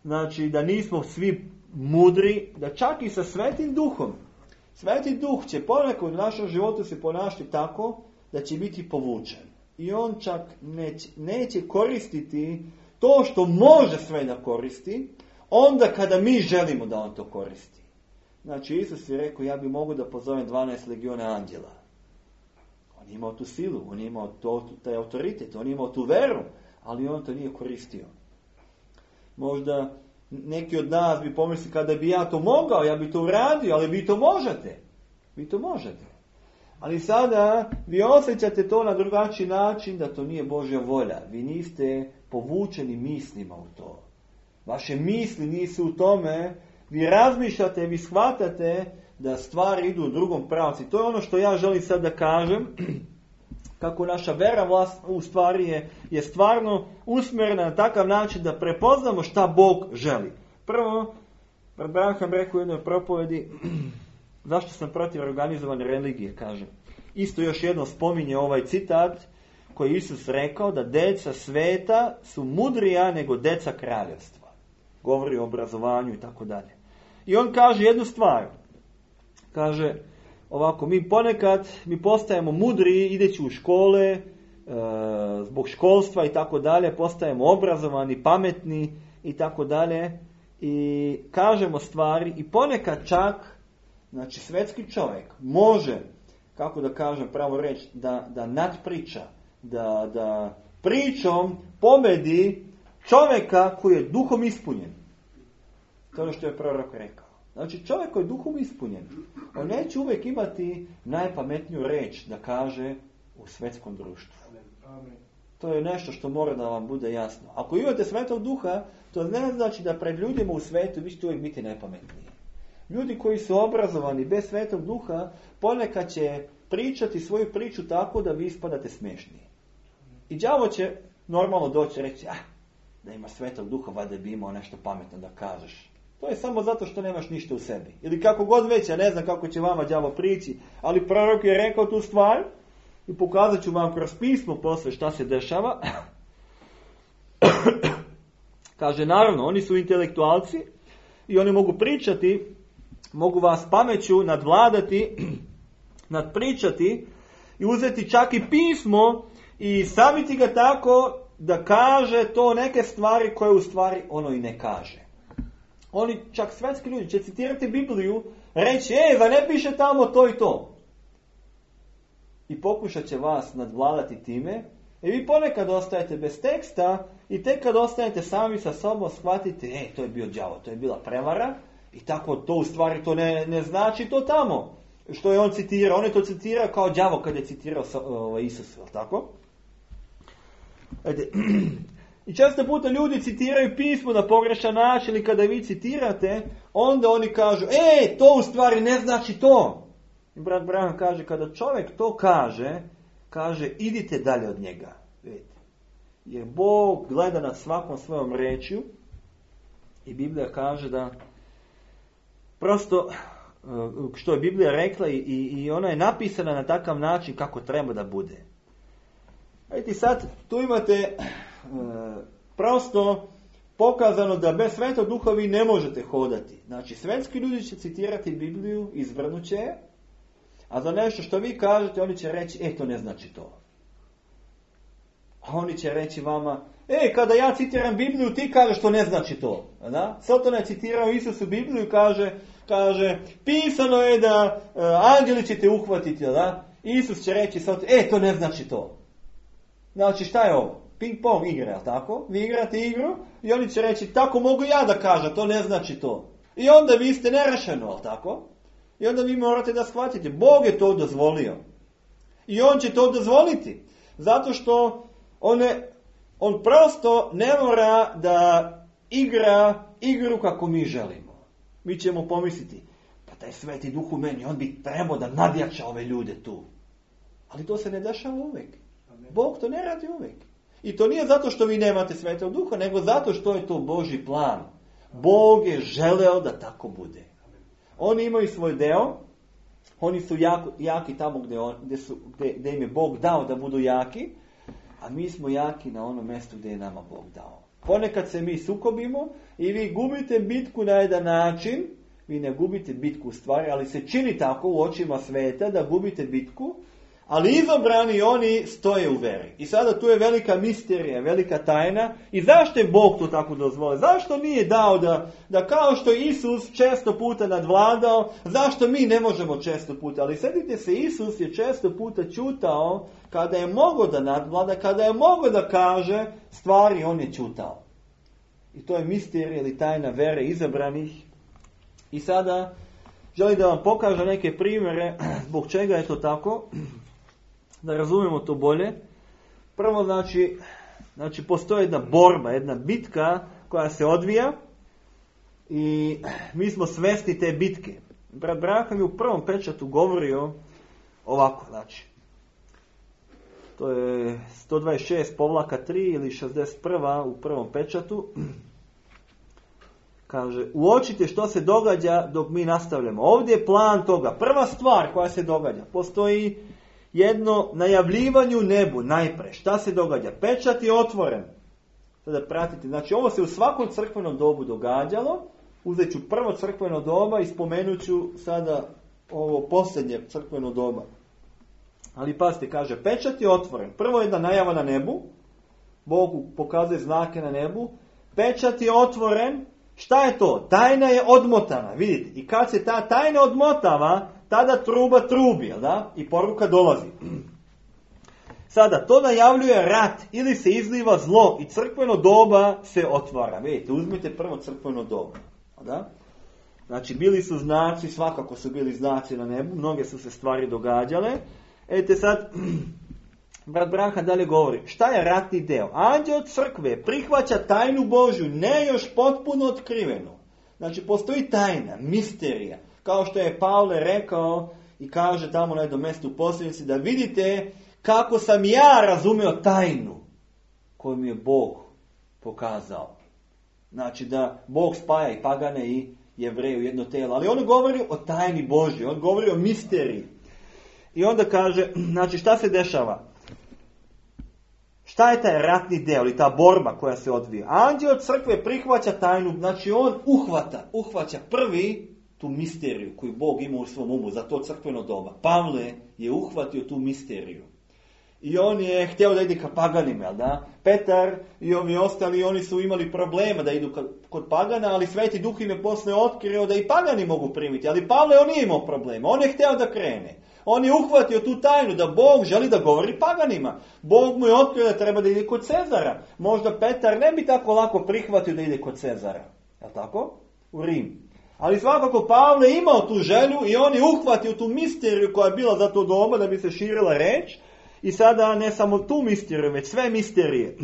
Speaker 1: znači da nismo svi mudri, da čak i sa Svetim Duhom. Sveti Duh će ponekad u našem životu se ponašati tako da će biti povučen. I on čak neće, neće koristiti to što može sve da koristi, onda kada mi želimo da on to koristi. Znači Isus je rekao, ja bi mogu da pozovem dvanaest legiona anđela. On je imao tu silu, on je imao to, taj autoritet, on je imao tu veru, ali on to nije koristio. Možda neki od nas bi pomislili, kada bi ja to mogao, ja bi to uradio, ali vi to možete. Vi to možete. Ali sada vi osjećate to na drugačiji način, da to nije Božja volja. Vi niste povučeni mislima u to. Vaše misli nisu u tome. Vi razmišljate, vi shvatate da stvari idu u drugom pravcu. To je ono što ja želim sad da kažem. Kako naša vera vlast, u stvari je, je stvarno usmjerena na takav način da prepoznamo šta Bog želi. Prvo, brat Branham rekao u jednoj propovedi, zašto sam protiv organizovane religije, kaže. Isto još jedno spominje ovaj citat koji je Isus rekao, da deca sveta su mudrija nego deca kraljevstva. Govori o obrazovanju i tako dalje. I on kaže jednu stvar. Kaže ovako, mi ponekad mi postajemo mudri ideći u škole, e, zbog školstva i tako dalje, postajemo obrazovani, pametni i tako dalje. I kažemo stvari i ponekad čak, znači svetski čovjek može, kako da kažem pravo reći, da, da nadpriča, da, da pričom pobedi čovjeka koji je duhom ispunjen. To je ono što je prorok rekao. Znači čovjek koji je duhom ispunjen, on neće uvijek imati najpametniju reč da kaže u svetskom društvu. To je nešto što mora da vam bude jasno. Ako imate Svetog Duha, to ne znači da pred ljudima u svetu vi ćete uvijek biti najpametniji. Ljudi koji su obrazovani bez Svetog Duha ponekad će pričati svoju priču tako da vi ispadate smiješni. I đavo će normalno doći reći, ah, da ima Svetog Duha, valjda bi imao nešto pametno da kažeš. To je samo zato što nemaš ništa u sebi. Ili kako god već, ja ne znam kako će vama đavo prići, ali prorok je rekao tu stvar i pokazat ću vam kroz pismo posle šta se dešava. Kaže, naravno, oni su intelektualci i oni mogu pričati, mogu vas pameću nadvladati, nadpričati i uzeti čak i pismo i staviti ga tako da kaže to neke stvari koje u stvari ono i ne kaže. Oni, čak svetski ljudi, će citirati Bibliju, reći, e, da ne piše tamo to i to. I pokušat će vas nadvladati time. I vi ponekad ostajete bez teksta i tek kad ostajete sami sa sobom shvatite, e, to je bio đavo, to je bila prevara i tako to u stvari to ne, ne znači to tamo. Što je on citirao, on je to citirao kao đavo kad je citirao o, Isus, jel tako? Ajde. I često puta ljudi citiraju pismo na pogrešan način i kada vi citirate, onda oni kažu, e, to u stvari ne znači to. I brat Branham kaže, kada čovjek to kaže, kaže, idite dalje od njega. Vidite. Jer Bog gleda nad svakom svojom rečju i Biblija kaže da prosto, što je Biblija rekla i, i ona je napisana na takav način kako treba da bude. Vidite, sad tu imate e, prosto pokazano da bez Svetog Duha vi ne možete hodati. Znači, svetski ljudi će citirati Bibliju, izvrnut će je, a za nešto što vi kažete, oni će reći, e, to ne znači to. A oni će reći vama, e, kada ja citiram Bibliju, ti kažeš to ne znači to. Da? Satan je citirao Isusu Bibliju i kaže, kaže, pisano je da uh, anđeli će te uhvatiti, da? Isus će reći, e, to ne znači to. Znači, šta je ovo? Ping pong igra, tako? Vi igrate igru i oni će reći, tako mogu ja da kažem, to ne znači to. I onda vi ste nerešeno, ali tako? I onda vi morate da shvatite, Bog je to dozvolio. I on će to dozvoliti. Zato što on, je, on prosto ne mora da igra igru kako mi želimo. Mi ćemo pomisliti, pa taj Sveti Duh u meni, on bi trebao da nadjača ove ljude tu. Ali to se ne dešava uvijek. Bog to ne radi uvijek. I to nije zato što vi nemate Svetog Duha, nego zato što je to Božji plan. Bog je želeo da tako bude. Oni imaju svoj deo, oni su jako, jaki tamo gdje, on, gdje, su, gdje, gdje im je Bog dao da budu jaki, a mi smo jaki na onom mjestu gdje je nama Bog dao. Ponekad se mi sukobimo i vi gubite bitku na jedan način, vi ne gubite bitku u stvari, ali se čini tako u očima sveta da gubite bitku, ali izabrani oni stoje u veri. I sada tu je velika misterija, velika tajna. I zašto je Bog to tako dozvolio? Zašto nije dao da, da kao što Isus često puta nadvladao, zašto mi ne možemo često puta? Ali sjetite se, Isus je često puta čutao kada je mogao da nadvlada, kada je mogao da kaže stvari, on je čutao. I to je misterija ili tajna vere izabranih. I sada želim da vam pokažem neke primjere zbog čega je to tako. Da razumijemo to bolje. Prvo, znači, znači postoji jedna borba, jedna bitka koja se odvija i mi smo svesni te bitke. Brat Branham je u prvom pečatu govorio ovako, znači, to je sto dvadeset šest povlaka tri ili šezdeset prva u prvom pečatu. Kaže, uočite što se događa dok mi nastavljamo. Ovdje je plan toga. Prva stvar koja se događa, postoji jedno najavljivanju nebu najpre. Šta se događa? Pečat je otvoren. Sada pratite. Znači, ovo se u svakom crkvenom dobu događalo. Uzet ću prvo crkveno doba i spomenut ću sada ovo posljednje crkveno doba. Ali pazite, kaže, pečat je otvoren. Prvo je jedna najava na nebu. Bog pokazuje znake na nebu. Pečat je otvoren. Šta je to? Tajna je odmotana. Vidite, i kad se ta tajna odmotava, tada truba trubi, jel da? I poruka dolazi. Sada, to najavljuje rat ili se izliva zlo i crkveno doba se otvara. Vidite, uzmite prvo crkveno doba. Da? Znači, bili su znaci, svakako su bili znaci na nebu, mnoge su se stvari događale. Ete sad, brat Branham dalje govori, šta je ratni deo? Anđeo crkve prihvaća tajnu Božju, ne još potpuno otkrivenu. Znači, postoji tajna, misterija. Kao što je Pavle rekao, i kaže tamo na jednom mjestu u posljednici da vidite kako sam ja razumio tajnu koju mi je Bog pokazao. Znači da Bog spaja i pagane i Jevreje u jedno tijelo. Ali on govori o tajni Božji, on govori o misteriji. I onda kaže, znači šta se dešava? Šta je taj ratni deo ili ta borba koja se odvija? Anđeo crkve prihvaća tajnu, znači on uhvata, uhvaća prvi tu misteriju koju Bog ima u svom umu za to crkveno doba. Pavle je uhvatio tu misteriju. I on je htio da ide ka paganima, da? Petar i ovi ostali, oni su imali problema da idu kod pagana, ali Sveti Duh im je posle otkrio da i pagani mogu primiti. Ali Pavle on nije imao problema, on je htio da krene. On je uhvatio tu tajnu da Bog želi da govori paganima. Bog mu je otkrio da treba da ide kod Cezara. Možda Petar ne bi tako lako prihvatio da ide kod Cezara. Je li tako? U Rim. Ali svakako Pavle je imao tu želju i on je uhvatio tu misteriju koja je bila za to doba da bi se širila reč. I sada ne samo tu misteriju, već sve misterije.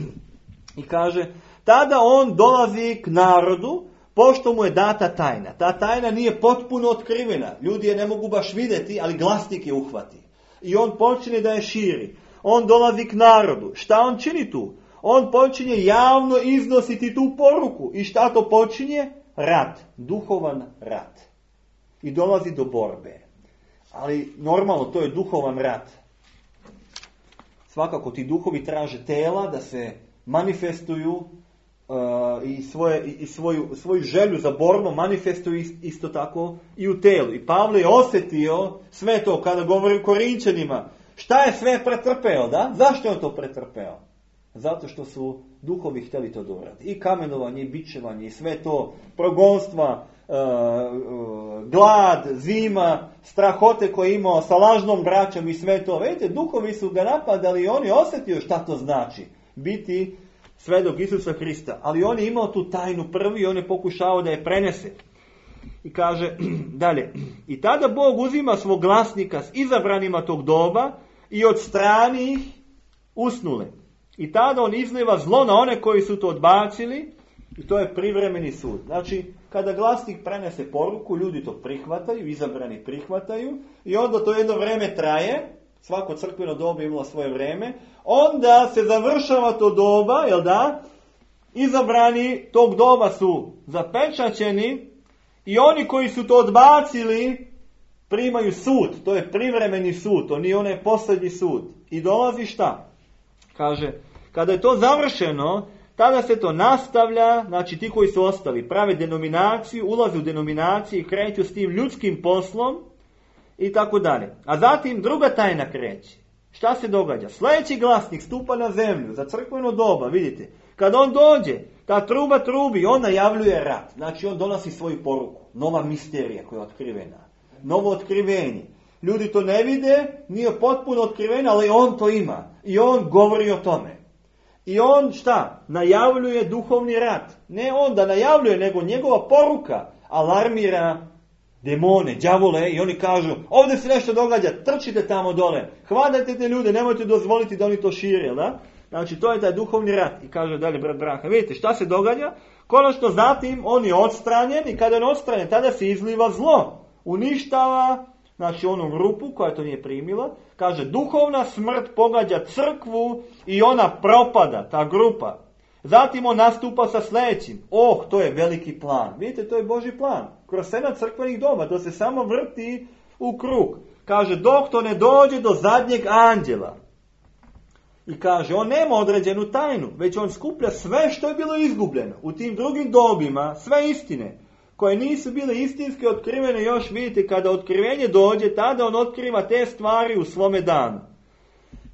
Speaker 1: I kaže, tada on dolazi k narodu, pošto mu je data tajna. Ta tajna nije potpuno otkrivena. Ljudi je ne mogu baš vidjeti, ali glasnik je uhvati. I on počinje da je širi. On dolazi k narodu. Šta on čini tu? On počinje javno iznositi tu poruku. I šta to počinje? Rat. Duhovan rat. I dolazi do borbe. Ali normalno to je duhovan rat. Svakako ti duhovi traže tela da se manifestuju uh, i, svoje, i svoju, svoju želju za borbu manifestuju isto tako i u telu. I Pavle je osjetio sve to kada govori o Korinčanima. Šta je sve pretrpeo, da? Zašto je on to pretrpeo? Zato što su duhovi htjeli to dobrati. I kamenovanje, i bičevanje, i sve to, progonstva, uh, uh, glad, zima, strahote koje je imao sa lažnom braćom i sve to. Vidite, duhovi su ga napadali i on je osjetio šta to znači. Biti svedok Isusa Hrista. Ali on je imao tu tajnu prvi i on je pokušao da je prenese. I kaže dalje. I tada Bog uzima svog glasnika s izabranima tog doba i od strani ih usnule. I tada on izliva zlo na one koji su to odbacili i to je privremeni sud. Znači, kada glasnik prenese poruku, ljudi to prihvataju, izabrani prihvataju i onda to jedno vrijeme traje, svako crkveno doba imalo svoje vrijeme, onda se završava to doba, jel da? Izabrani tog doba su zapečaćeni i oni koji su to odbacili primaju sud, to je privremeni sud, to nije onaj posljednji sud. I dolazi šta? Kaže, kada je to završeno, tada se to nastavlja, znači ti koji su ostali prave denominaciju, ulaze u denominaciju i kreću s tim ljudskim poslom i tako dalje. A zatim druga tajna kreće. Šta se događa? Sljedeći glasnik stupa na zemlju za crkveno doba, vidite. Kad on dođe, ta truba trubi, on najavljuje rat. Znači on donosi svoju poruku. Nova misterija koja je otkrivena. Novo otkrivenje. Ljudi to ne vide, nije potpuno otkriveno, ali on to ima. I on govori o tome. I on šta? Najavljuje duhovni rat. Ne on da najavljuje, nego njegova poruka alarmira demone, đavole i oni kažu, ovdje se nešto događa, trčite tamo dole, hvatajte te ljude, nemojte dozvoliti da oni to šire, da? Znači to je taj duhovni rat. I kaže dalje brat Braha, vidite šta se događa? Konačno zatim on je odstranjen i kada je odstranjen, tada se izliva zlo. Uništava, znači onu grupu koja to nije primila, kaže duhovna smrt pogađa crkvu i ona propada, ta grupa. Zatim on nastupa sa sljedećim. Oh, to je veliki plan. Vidite, to je Božji plan. Kroz sedam crkvenih doba, to se samo vrti u krug. Kaže, dok to ne dođe do zadnjeg anđela. I kaže, on nema određenu tajnu, već on skuplja sve što je bilo izgubljeno. U tim drugim dobima, sve istine, koje nisu bile istinske otkrivene, još vidite, kada otkrivenje dođe, tada on otkriva te stvari u svome danu.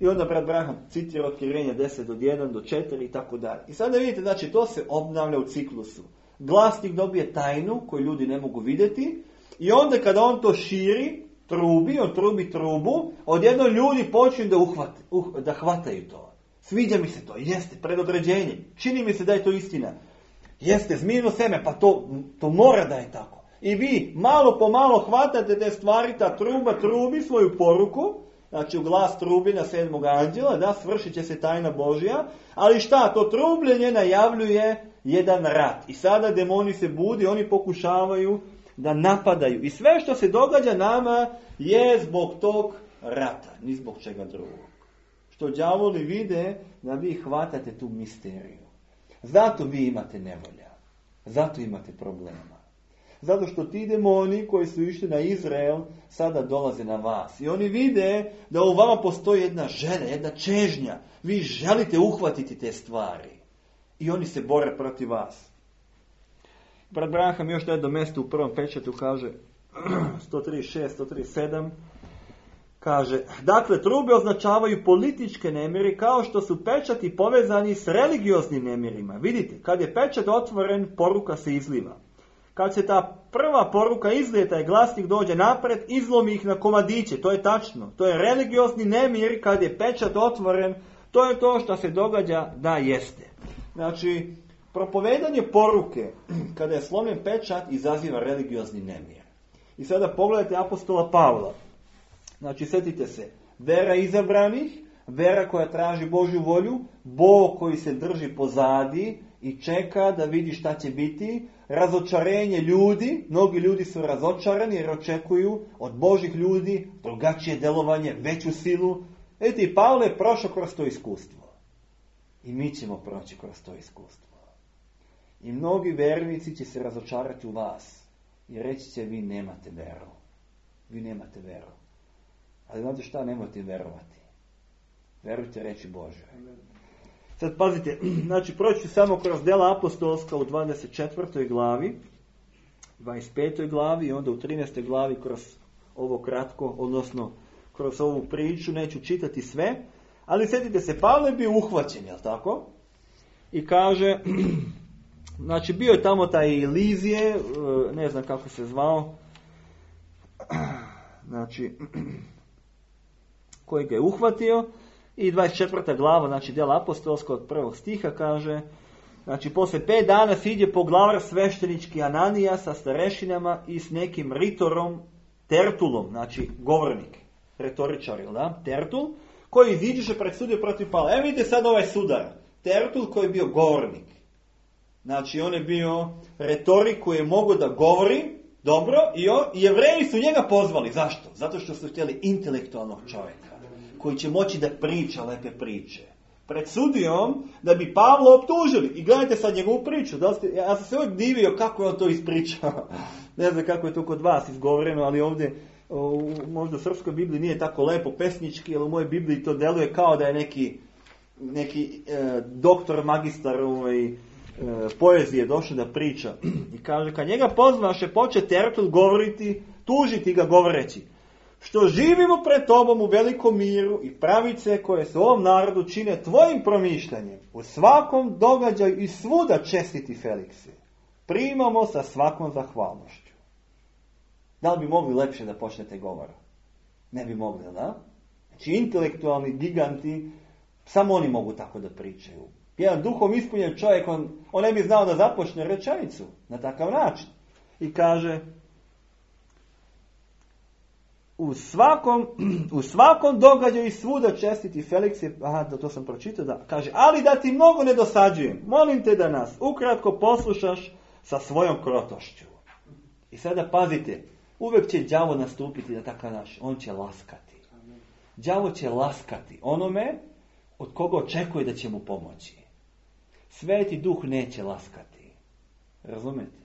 Speaker 1: I onda brat Braham citira otkrivenje deset od jedan do četiri i tako dalje. I sada vidite, znači to se obnavlja u ciklusu. Glasnik dobije tajnu koju ljudi ne mogu vidjeti i onda kada on to širi, trubi, on trubi trubu, odjedno ljudi počinju da, uhvate, uh, da hvataju to. Sviđa mi se to, jeste, predodređenje, čini mi se da je to istina. Jeste, zmijeno seme, pa to, to mora da je tako. I vi malo po malo hvatate te stvari, ta truba trubi svoju poruku, znači u glas trubi na sedmog anđela, da, svršit će se tajna Božja, ali šta, to trubljenje najavljuje jedan rat. I sada demoni se budi, oni pokušavaju da napadaju. I sve što se događa nama je zbog tog rata, ni zbog čega drugog. Što đavoli vide da vi hvatate tu misteriju. Zato vi imate nevolja. Zato imate problema. Zato što ti demoni koji su išli na Izrael sada dolaze na vas. I oni vide da u vama postoji jedna želja, jedna čežnja. Vi želite uhvatiti te stvari. I oni se bore protiv vas. Brat Branham još na jedno mjesto u prvom pečatu kaže sto trideset šest, sto trideset sedam kaže, dakle, trube označavaju političke nemiri kao što su pečati povezani s religioznim nemirima. Vidite, kad je pečat otvoren, poruka se izliva. Kad se ta prva poruka izlije, taj glasnik dođe napred, izlomi ih na komadiće. To je tačno. To je religiozni nemir kad je pečat otvoren. To je to što se događa da jeste. Znači, propovedanje poruke kada je slomljen pečat izaziva religiozni nemir. I sada pogledajte apostola Pavla. Znači, sjetite se, vera izabranih, vera koja traži Božju volju, Bog koji se drži pozadi i čeka da vidi šta će biti, razočarenje ljudi, mnogi ljudi su razočarani jer očekuju od Božih ljudi drugačije delovanje, veću silu. Eto, i Pavle je prošao kroz to iskustvo. I mi ćemo proći kroz to iskustvo. I mnogi vernici će se razočarati u vas i reći će, vi nemate veru. Vi nemate veru. Ali znate šta, nemojte verovati. Verujte reći Bože. Sad pazite, znači proći ću samo kroz djela apostolska u dvadeset četvrtoj glavi, dvadeset petoj glavi i onda u trinaestoj glavi kroz ovo kratko, odnosno kroz ovu priču, neću čitati sve, ali sjetite se, Pavle je bio uhvaćen, jel tako? I kaže, znači bio je tamo taj Lizije, ne znam kako se zvao, znači, koji ga je uhvatio, i dvadeset četvrta glava, znači djela apostolska od prvog stiha kaže, znači poslije pet dana siđe poglavar sveštenički Ananija sa starešinama i s nekim ritorom Tertulom, znači govornik, retoričar, da? Tertul, koji iziđeše pred sudio protiv Pavla. Evo vidite sad ovaj sudar, Tertul koji je bio govornik. Znači on je bio retorik koji je mogao da govori dobro i, on, i Jevreji su njega pozvali. Zašto? Zato što su htjeli intelektualnog čovjeka koji će moći da priča lepe priče. Pred sudijom da bi Pavla optužili. I gledajte sad njegovu priču. Da ste, ja sam se uvijek divio kako je on to ispričao. Ne znam kako je to kod vas izgovoreno, ali ovdje u, možda u srpskoj Bibliji nije tako lepo pesnički, ali u mojoj Bibliji to deluje kao da je neki, neki e, doktor, magistar ovaj, e, poezije došao da priča. I kaže, kad njega pozvaše, poče Tertul govoriti, tužiti ga govoreći, što živimo pred tobom u velikom miru i pravice koje se ovom narodu čine tvojim promišljanjem, u svakom događaju i svuda čestiti Felikse, primamo sa svakom zahvalnošću. Da li bi mogli lepše da počnete govor? Ne bi mogli, da? Znači, intelektualni giganti, samo oni mogu tako da pričaju. Jedan duhom ispunjen čovjek, on, on ne bi znao da započne rečenicu na takav način. I kaže, u svakom, u svakom događaju i svuda čestiti Feliks je, aha, da to sam pročitao, da, kaže, ali da ti mnogo ne dosađujem, molim te da nas ukratko poslušaš sa svojom krotošću. I sada pazite, uvijek će đavo nastupiti na takav naš, on će laskati. Đavo će laskati onome od koga očekuje da će mu pomoći. Sveti duh neće laskati. Razumete?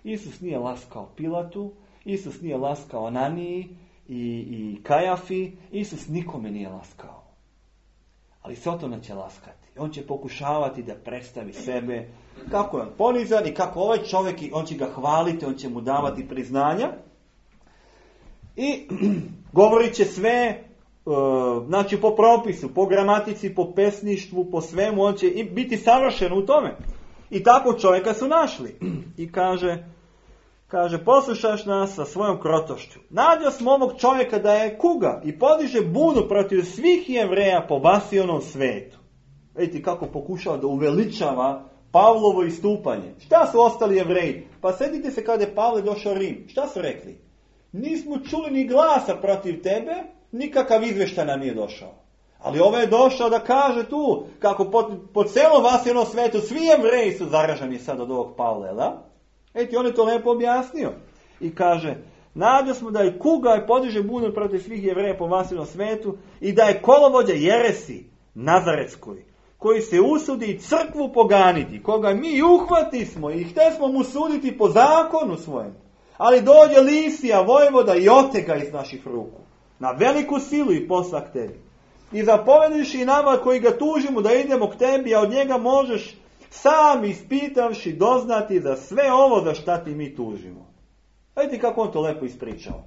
Speaker 1: Isus nije laskao Pilatu, Isus nije laskao Ananiji i, i Kajafi, Isus nikome nije laskao. Ali Sotona će laskati. On će pokušavati da predstavi sebe kako je on ponizan i kako ovaj čovjek, on će ga hvaliti, on će mu davati priznanja. I govorit će sve, znači po propisu, po gramatici, po pesništvu, po svemu, on će biti savršen u tome. I takvog čovjeka su našli. I kaže, kaže, poslušaš nas sa svojom krotošću. Nađo smo ovog čovjeka da je kuga i podiže bunu protiv svih Jevreja po Basionom svetu. Vidite kako pokušava da uveličava Pavlovo istupanje. Šta su ostali Jevreji? Pa sjetite se kada je Pavle došao u Rim. Šta su rekli? Nismo čuli ni glasa protiv tebe, nikakav izvještaj nam nije došao. Ali ovaj je došao da kaže tu, kako po, po celom Basionom svetu svi Jevreji su zaraženi sad od ovog Pavle, da? Eti, on je to lepo objasnio. i kaže, nađo smo da je kuga i podiže bunor protiv svih Jevreja po masivnom svetu i da je kolovođa jeresi Nazaretskoj, koji se usudi crkvu poganiti, koga mi uhvati smo i htje smo mu suditi po zakonu svojem. Ali dođe Lisija, vojvoda i otega iz naših ruku. Na veliku silu i posla k tebi. I zapovediš i nama koji ga tužimo da idemo k tebi, a od njega možeš sam ispitavši doznati za sve ovo za šta ti mi tužimo. Vidite kako on to lepo ispričao.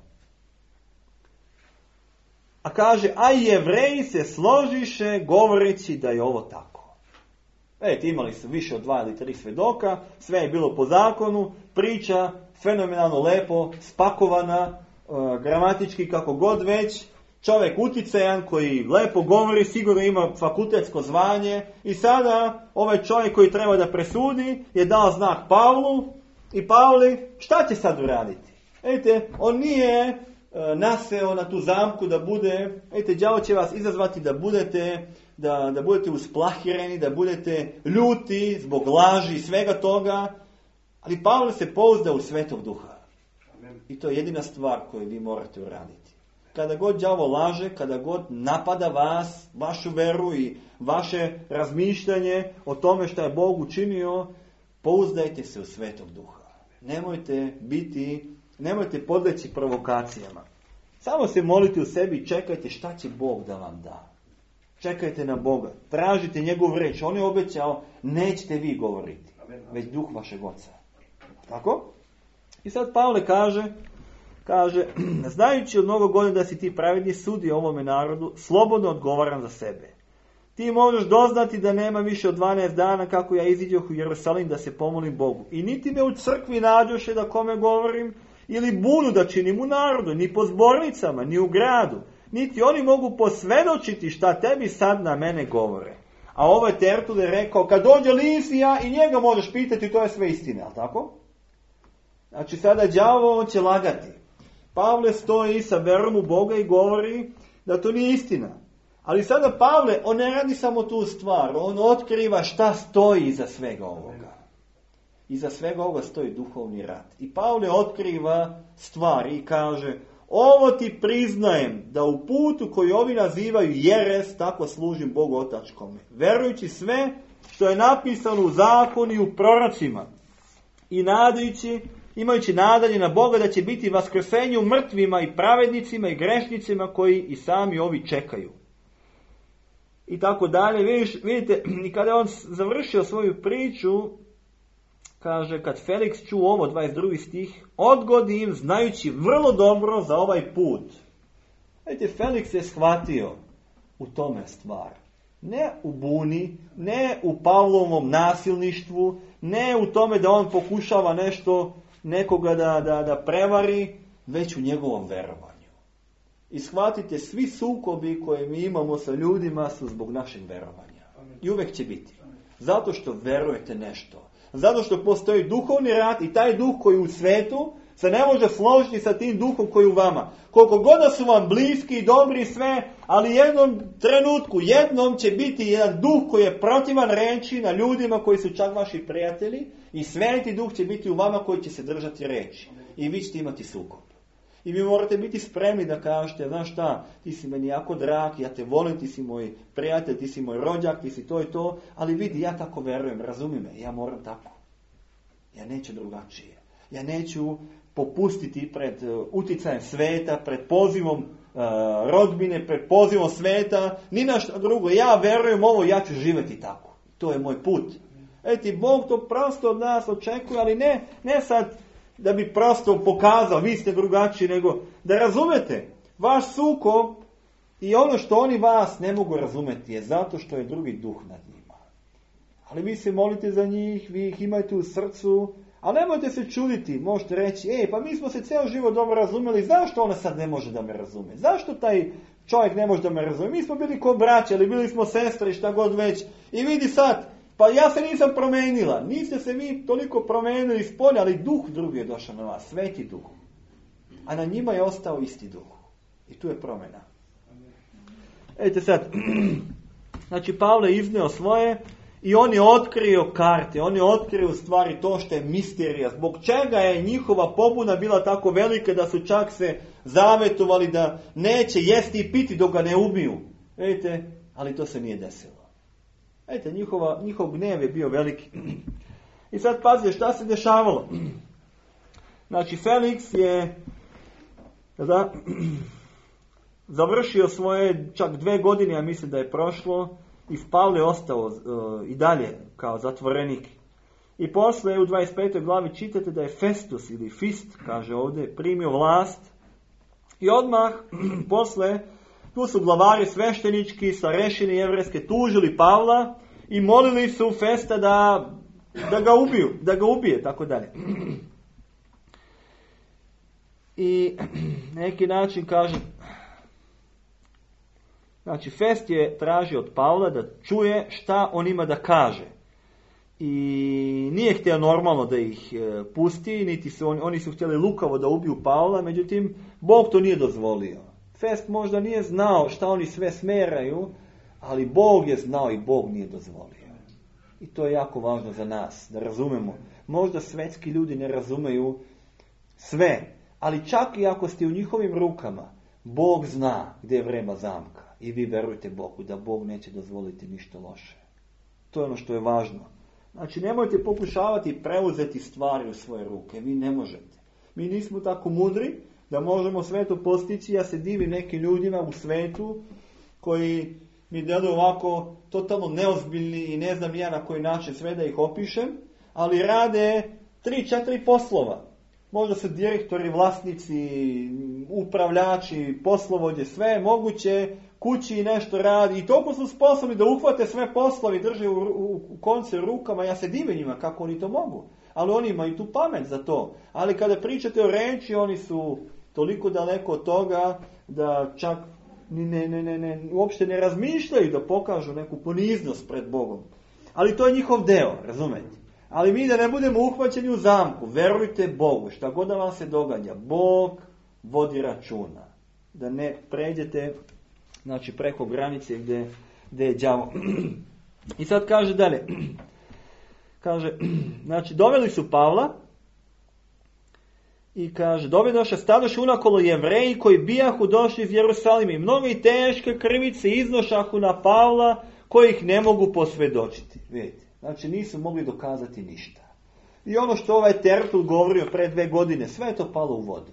Speaker 1: A kaže, a i Jevreji se složiše govoreći da je ovo tako. Vidite, imali su više od dva ili tri svedoka, sve je bilo po zakonu, priča fenomenalno lepo, spakovana, gramatički kako god već, čovjek uticajan koji lepo govori, sigurno ima fakultetsko zvanje i sada ovaj čovjek koji treba da presudi je dao znak Pavlu i Pavli šta će sad uraditi? Vidite, on nije e, naseo na tu zamku da bude, vidite, đavo će vas izazvati da budete, da, da budete usplahireni, da budete ljuti zbog laži i svega toga, ali Pavle se pouzda u Svetog Duha. I to je jedina stvar koju vi morate uraditi. Kada god đavo laže, kada god napada vas, vašu veru i vaše razmišljanje o tome što je Bog učinio, pouzdajte se u Svetog Duha. Nemojte biti, nemojte podleći provokacijama. Samo se molite u sebi i čekajte šta će Bog da vam da. Čekajte na Boga, tražite njegovu reč. On je obećao, nećete vi govoriti, već Duh vašeg Oca. Tako? I sad Pavle kaže, kaže, znajući od mnogo godina da si ti pravedni sudi ovome narodu, slobodno odgovaram za sebe. Ti možeš doznati da nema više od dvanaest dana kako ja iziđoh u Jerusalim da se pomolim Bogu. I niti me u crkvi nađoše da kome govorim, ili bunu da činim u narodu, ni po zbornicama, ni u gradu. Niti oni mogu posvedočiti šta tebi sad na mene govore. A ovo je Tertule rekao, kad dođe Lisija i njega možeš pitati, to je sve istina, ali tako? Znači sada đavo on će lagati. Pavle stoji sa verom u Boga i govori da to nije istina. Ali sada Pavle, on ne radi samo tu stvar, on otkriva šta stoji iza svega ovoga. Iza svega ovoga stoji duhovni rat. I Pavle otkriva stvari i kaže, ovo ti priznajem da u putu koji ovi nazivaju jeres, tako služim Bogu otačkome. Verujući sve što je napisano u zakonu i u prorocima. I nadajući, imajući nadanje na Boga da će biti vaskrsenje u mrtvima i pravednicima i grešnicima koji i sami ovi čekaju. I tako dalje. Vidiš, vidite, i kada je on završio svoju priču, kaže, kad Feliks čuo ovo, dvadeset drugi stih, odgodi im, znajući vrlo dobro za ovaj put. Vidite, Feliks je shvatio u tome stvar. Ne u buni, ne u Pavlovom nasilništvu, ne u tome da on pokušava nešto, nekoga da, da, da prevari, već u njegovom verovanju. I shvatite, svi sukobi koje mi imamo sa ljudima su zbog našeg verovanja. I uvijek će biti. Zato što verujete nešto. Zato što postoji duhovni rat i taj duh koji u svetu se ne može složiti sa tim duhom koji u vama. Koliko god da su vam bliski i dobri i sve, ali jednom trenutku, jednom će biti jedan duh koji je protivan reči na ljudima koji su čak vaši prijatelji i sveti duh će biti u vama koji će se držati reči. I vi ćete imati sukob. I vi morate biti spremni da kažete, znaš šta, ti si meni jako drag, ja te volim, ti si moj prijatelj, ti si moj rođak, ti si to i to, ali vidi, ja tako verujem, razumi me, ja moram tako. Ja neću drugačije. Ja neću popustiti pred uh, uticajem sveta, pred pozivom uh, rodbine, pred pozivom sveta, ni na što drugo. Ja verujem ovo, ja ću živjeti tako. To je moj put. Eti, Bog to prosto od nas očekuje, ali ne, ne sad da bi prosto pokazao, vi ste drugačiji, nego da razumete, vaš sukob i ono što oni vas ne mogu razumeti je zato što je drugi duh nad njima. Ali vi se molite za njih, vi ih imajte u srcu, ali nemojte se čuditi, možete reći, ej, pa mi smo se cijel život dobro razumjeli, zašto ona sad ne može da me razume? Zašto taj čovjek ne može da me razume? Mi smo bili ko braća, ali bili smo sestre i šta god već. I vidi sad, pa ja se nisam promenila, niste se mi toliko promenili iz polja, ali duh drugi je došao na vas, sveti duh. A na njima je ostao isti duh. I tu je promjena. Vidite sad, znači Pavle izneo svoje I on je otkrio karte, on je otkrio u stvari to što je misterija. Zbog čega je njihova pobuna bila tako velika da su čak se zavetovali da neće jesti i piti dok ga ne ubiju. Vidite, ali to se nije desilo. Vidite, njihova, njihov gnev je bio veliki. I sad pazite šta se dešavalo. Znači, Feliks je da, završio svoje čak dve godine, ja mislim da je prošlo, i Pavle je ostao uh, i dalje kao zatvorenik. I posle u dvadeset petoj glavi čitate da je Festus ili Fist, kaže ovdje, primio vlast. I odmah posle tu su glavari sveštenički, starešine jevrejske tužili Pavla i molili su Festa da, da ga ubiju, da ga ubije, tako dalje. I neki način kaže, znači Fest je tražio od Pavla da čuje šta on ima da kaže. I nije htio normalno da ih e, pusti, niti su oni, oni su htjeli lukavo da ubiju Pavla, međutim Bog to nije dozvolio. Fest možda nije znao šta oni sve smeraju, ali Bog je znao i Bog nije dozvolio. I to je jako važno za nas, da razumemo. Možda svetski ljudi ne razumeju sve, ali čak i ako ste u njihovim rukama, Bog zna gdje je vrema zamka. I vi verujte Bogu da Bog neće dozvoliti ništa loše. To je ono što je važno. Znači, nemojte pokušavati preuzeti stvari u svoje ruke. Vi ne možete. Mi nismo tako mudri da možemo sve to postići. Ja se divim nekim ljudima u svetu koji mi djeluju ovako totalno neozbiljni i ne znam ja na koji način sve da ih opišem, ali rade tri, četiri poslova. Možda su direktori, vlasnici, upravljači, poslovođe, sve moguće, kući nešto radi i toliko su sposobni da uhvate sve poslove i drže u, u, u konce rukama. Ja se divim njima kako oni to mogu, ali oni imaju tu pamet za to. Ali kada pričate o reči, oni su toliko daleko od toga da čak ne, ne, ne, ne, uopšte ne razmišljaju da pokažu neku poniznost pred Bogom. Ali to je njihov deo, razumete? Ali mi da ne budemo uhvaćeni u zamku, verujte Bogu, šta god da vam se događa, Bog vodi računa. Da ne pređete, znači, preko granice gdje, gdje je đavo. I sad kaže dalje. Kaže, znači, doveli su Pavla i kaže, dovedoše stadoše unakolo Jevreji koji bijahu došli iz Jerusalima i mnogi teške krivice iznošahu na Pavla kojih ne mogu posvjedočiti. Vidite. Znači, nisu mogli dokazati ništa. I ono što ovaj Tertul govorio pre dve godine, sve je to palo u vodu.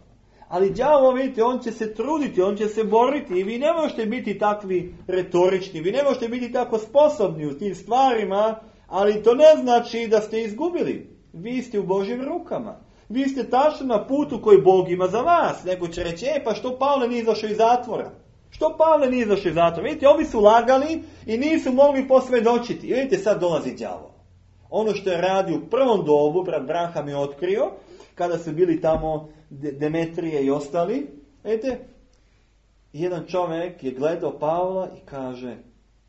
Speaker 1: Ali đavo, vidite, on će se truditi, on će se boriti i vi ne možete biti takvi retorični, vi ne možete biti tako sposobni u tim stvarima, ali to ne znači da ste izgubili. Vi ste u Božjim rukama. Vi ste tačno na putu koji Bog ima za vas. Neko će reći, e pa što Pavle nije izašao iz zatvora? Što Pavle nije izašao iz zatvora? Vidite, ovi su lagali i nisu mogli posvjedočiti. I vidite, sad dolazi đavo. Ono što je radio u prvom dobu, brat Branham je otkrio, kada su bili tamo Demetrije i ostali, vidite, jedan čovjek je gledao Pavla i kaže,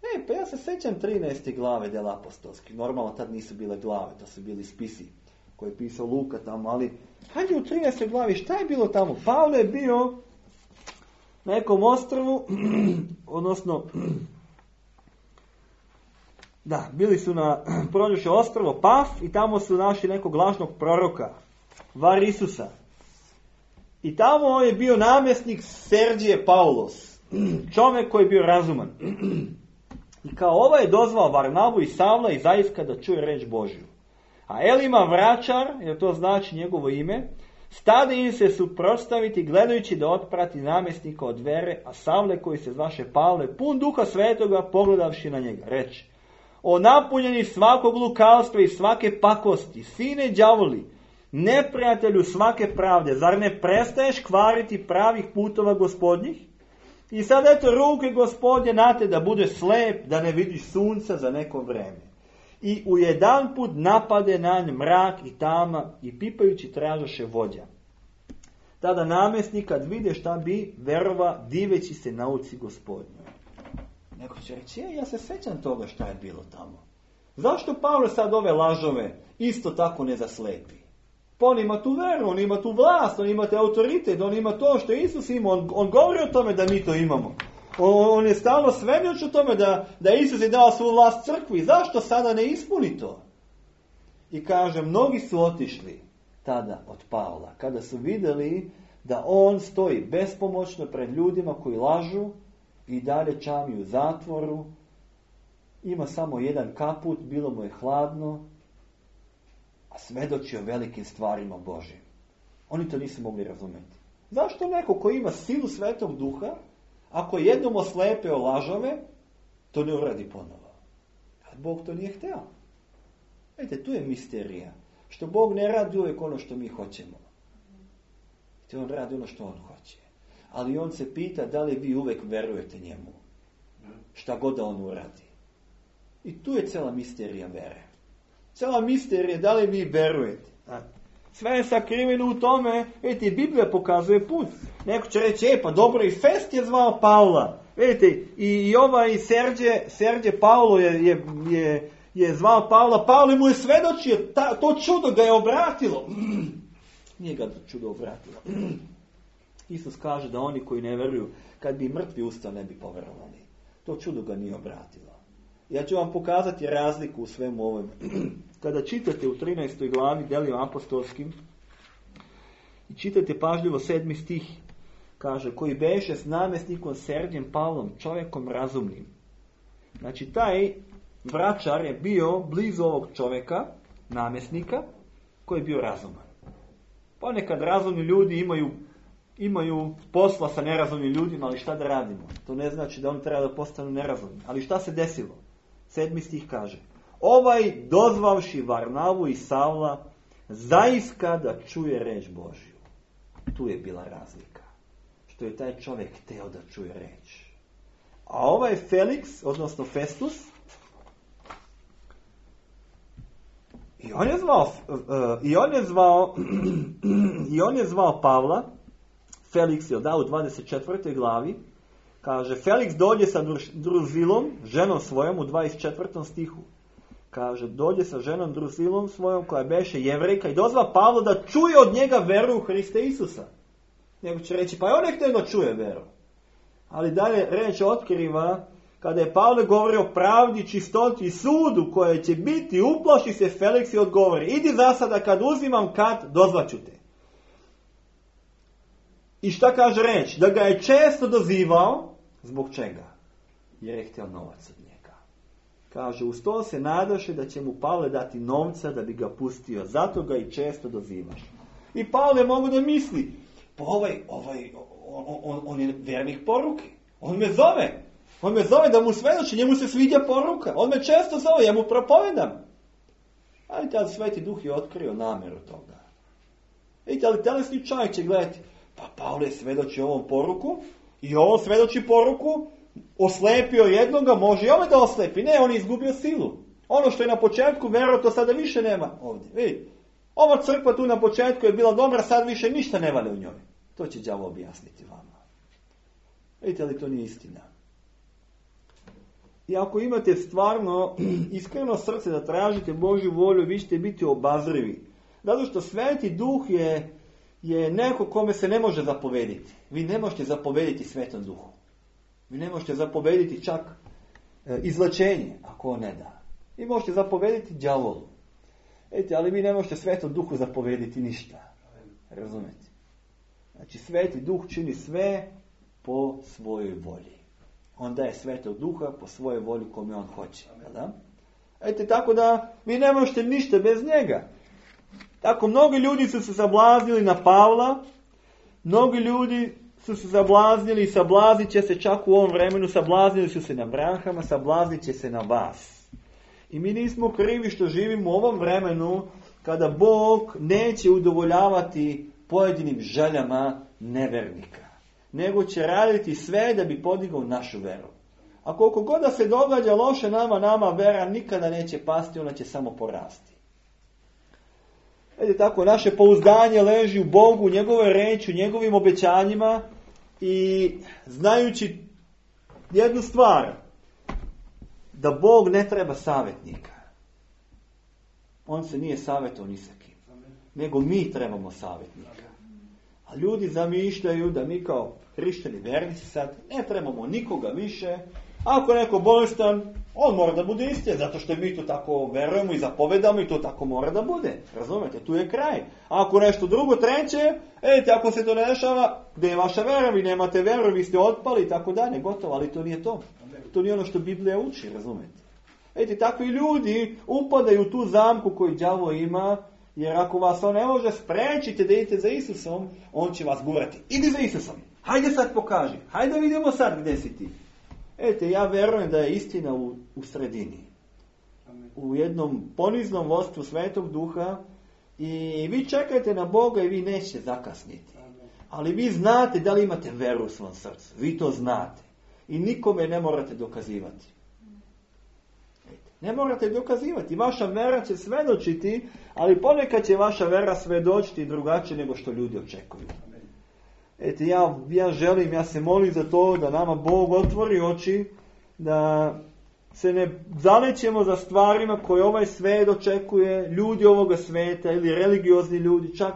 Speaker 1: e, pa ja se sećam trinaeste glave dela apostolskih. Normalno tad nisu bile glave, to su bili spisi koje je pisao Luka tamo, ali hajde u trinaestoj glavi, šta je bilo tamo? Pavle je bio na nekom ostrvu, odnosno, da, bili su na prođuše ostrvo Paf i tamo su našli nekog lažnog proroka, Var Isusa. I tamo je bio namjesnik Sergije Paulos, čovjek koji je bio razuman. I kao ovaj je dozvao Varnabu i Savla i Zaiska da čuje reč Božju. A Elima vraćar, jer to znači njegovo ime, stade im se suprotstaviti gledajući da otprati namjesnika od vere, a Savle koji se zvaše Pavle, pun duha svetoga, pogledavši na njega, reče: o napunjeni svakog lukavstva i svake pakosti, sine đavoli, neprijatelju svake pravde, zar ne prestaješ kvariti pravih putova gospodnjih? I sad eto ruke Gospodnje na te da bude slep, da ne vidiš sunca za neko vreme. I u jedan put napade na nj mrak i tama i pipajući tražaše vođa. Tada namjesnik kad vide šta bi, verova diveći se nauci Gospodnjoj. Neko će reći, ja se sećam toga šta je bilo tamo. Zašto Pavle sad ove lažove isto tako ne zaslepi? Pa on ima tu veru, on ima tu vlast, on ima te autoritet, on ima to što Isus ima, on, on govori o tome da mi to imamo. On, on je stalno svjedoči o tome da, da Isus je dao svu vlast crkvi. Zašto sada ne ispuni to? I kaže, mnogi su otišli tada od Pavla, kada su vidjeli da on stoji bespomoćno pred ljudima koji lažu i dalje čami u zatvoru. Ima samo jedan kaput, bilo mu je hladno, a svedoči o velikim stvarima Božim. Oni to nisu mogli razumjeti. Zašto neko koji ima silu Svetog Duha, ako jednom oslepeo lažove, to ne uradi ponovo? A Bog to nije hteo. Vidite, tu je misterija. Što Bog ne radi uvijek ono što mi hoćemo. Te on radi ono što on hoće. Ali on se pita da li vi uvijek verujete njemu. Šta god da on uradi. I tu je cijela misterija vere. Cijela misterija da li vi verujete. Sve je sakriveno u tome. Vidite, Biblija pokazuje put. Neko će reći, e pa dobro, i Fest je zvao Pavla. Vidite, i, i ovaj Serđe, Serđe Pavlo je, je, je, je zvao Pavla. Pavle mu je svedočio, ta, to čudo ga je obratilo. Nije ga čudo obratilo. Isus kaže da oni koji ne veruju, kad bi mrtvi ustao, ne bi poverovali. To čudo ga nije obratilo. Ja ću vam pokazati razliku u svemu ovome. Kada čitate u trinaestoj glavi Delima apostolskim i čitate pažljivo sedmi stih, kaže, koji beše s namjesnikom Serđem Pavlom, čovjekom razumnim. Znači, taj vračar je bio blizu ovog čovjeka, namjesnika, koji je bio razuman. Ponekad razumni ljudi imaju, imaju posla sa nerazumnim ljudima, ali šta da radimo? To ne znači da oni treba da postanu nerazumni. Ali šta se desilo? Sedmi stih kaže, ovaj dozvavši Varnavu i Savla zaiska da čuje reč Božju. Tu je bila razlika. Što je taj čovjek hteo da čuje reč. A ovaj Felix, odnosno Festus, i on je zvao, uh, i on je zvao, i on je zvao Pavla, Felix je da u dvadeset četvrtoj glavi, kaže, Felix dođe sa Druzilom, ženom svojom, u dvadeset četvrtom stihu. Kaže, dođe sa ženom Druzilom svojom, koja beše Jevrejka, i dozva Pavlo da čuje od njega veru u Hriste Isusa. Nego će reći, pa on je htio da čuje veru. Ali dalje reč otkriva, kada je Pavle govorio o pravdi, čistoti i sudu koje će biti, uplaši se Felix i odgovori, idi za sada, kad uzimam kat, dozvaću te. I šta kaže reč? Da ga je često dozivao, zbog čega? Jer je htio novac od njega. Kaže, uz to se nadaše da će mu Pavle dati novca da bi ga pustio, zato ga i često dozivaš. I Pavle mogu da misli, pa ovaj, ovaj, on, on, on je vernih poruke. On me zove. On me zove da mu svedoči, njemu se sviđa poruka. On me često zove, ja mu propovedam. Ali tada Sveti Duh je otkrio namjeru toga. Vidite, ali telesni čovjek će gledati, pa Pavle svedoči ovom poruku i ovo svedoči poruku, oslepio jednoga, može i ove da oslepi. Ne, on je izgubio silu. Ono što je na početku vero, to sada više nema ovdje. Vidite, ova crkva tu na početku je bila dobra, sad više ništa ne vale u njoj. To će đavo objasniti vama. Vidite li to nije istina? I ako imate stvarno iskreno srce da tražite Božju volju, vi ćete biti obazrivi. Zato što Sveti Duh je, je neko kome se ne može zapovediti. Vi ne možete zapovediti Svetom Duhu. Vi ne možete zapovediti čak e, izlečenje, ako on ne da. Vi možete zapovediti đavolu. Vidite, ali vi ne možete Svetom Duhu zapovediti ništa. Razumete? Znači, Sveti Duh čini sve po svojoj volji. On daje Svetog Duha po svojoj volji kome on hoće. Da? Ete, tako da vi ne možete ništa bez njega. Tako, mnogi ljudi su se sablaznili na Pavla, mnogi ljudi su se sablaznili i sablaznit će se čak u ovom vremenu, sablaznili su se na Abrahama, sablaznit će se na vas. I mi nismo krivi što živimo u ovom vremenu kada Bog neće udovoljavati pojedinim željama nevernika, nego će raditi sve da bi podigao našu veru. A koliko god da se događa loše nama, nama vera nikada neće pasti, ona će samo porasti. Vidite, tako, naše pouzdanje leži u Bogu, u njegove reči, u njegovim obećanjima i znajući jednu stvar, da Bog ne treba savjetnika. On se nije savjetovao ni sa kim, nego mi trebamo savjetnika. A ljudi zamišljaju da mi kao hrišćani vernici sad ne trebamo nikoga više. Ako je neko bolestan, on mora da bude istina, zato što mi to tako verujemo i zapovedamo i to tako mora da bude. Razumete, tu je kraj. A ako nešto drugo, treće, ejte, ako se to ne dešava, gdje je vaša vera, vi nemate veru, vi ste otpali i tako dalje, gotovo, ali to nije to. To nije ono što Biblija uči, razumete. Ejte, takvi ljudi upadaju u tu zamku koju đavo ima, jer ako vas on ne može sprečiti da idete za Isusom, on će vas gurati. Idi za Isusom, hajde sad pokaži, hajde vidimo sad gdje si ti. Ete, ja verujem da je istina u, u sredini. Amen. U jednom poniznom vodstvu Svetog Duha i vi čekajte na Boga i vi nećete zakasniti. Amen. Ali vi znate da li imate veru u svom srcu. Vi to znate. I nikome ne morate dokazivati. Ete, ne morate dokazivati. Vaša vera će svedočiti, ali ponekad će vaša vera svedočiti drugačije nego što ljudi očekuju. Eto, ja, ja želim, ja se molim za to da nama Bog otvori oči, da se ne zalećemo za stvarima koje ovaj svet očekuje, ljudi ovoga sveta ili religiozni ljudi, čak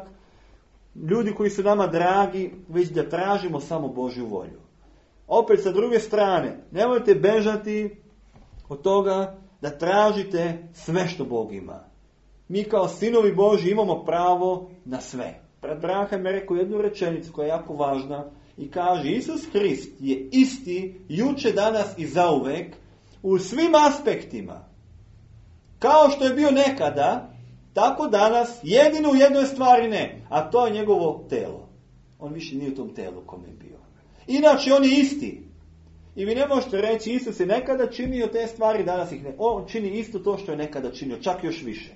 Speaker 1: ljudi koji su nama dragi, već da tražimo samo Božju volju. Opet sa druge strane, nemojte bežati od toga da tražite sve što Bog ima. Mi kao sinovi Božji imamo pravo na sve. Brat Branham je rekao jednu rečenicu koja je jako važna i kaže: Isus Hrist je isti juče, danas i zauvek u svim aspektima. Kao što je bio nekada, tako danas, jedino u jednoj stvari ne, a to je njegovo telo. On više nije u tom telu kome je bio. Inače on je isti. I vi ne možete reći Isus je nekada činio te stvari, danas ih ne. On čini isto to što je nekada činio, čak još više.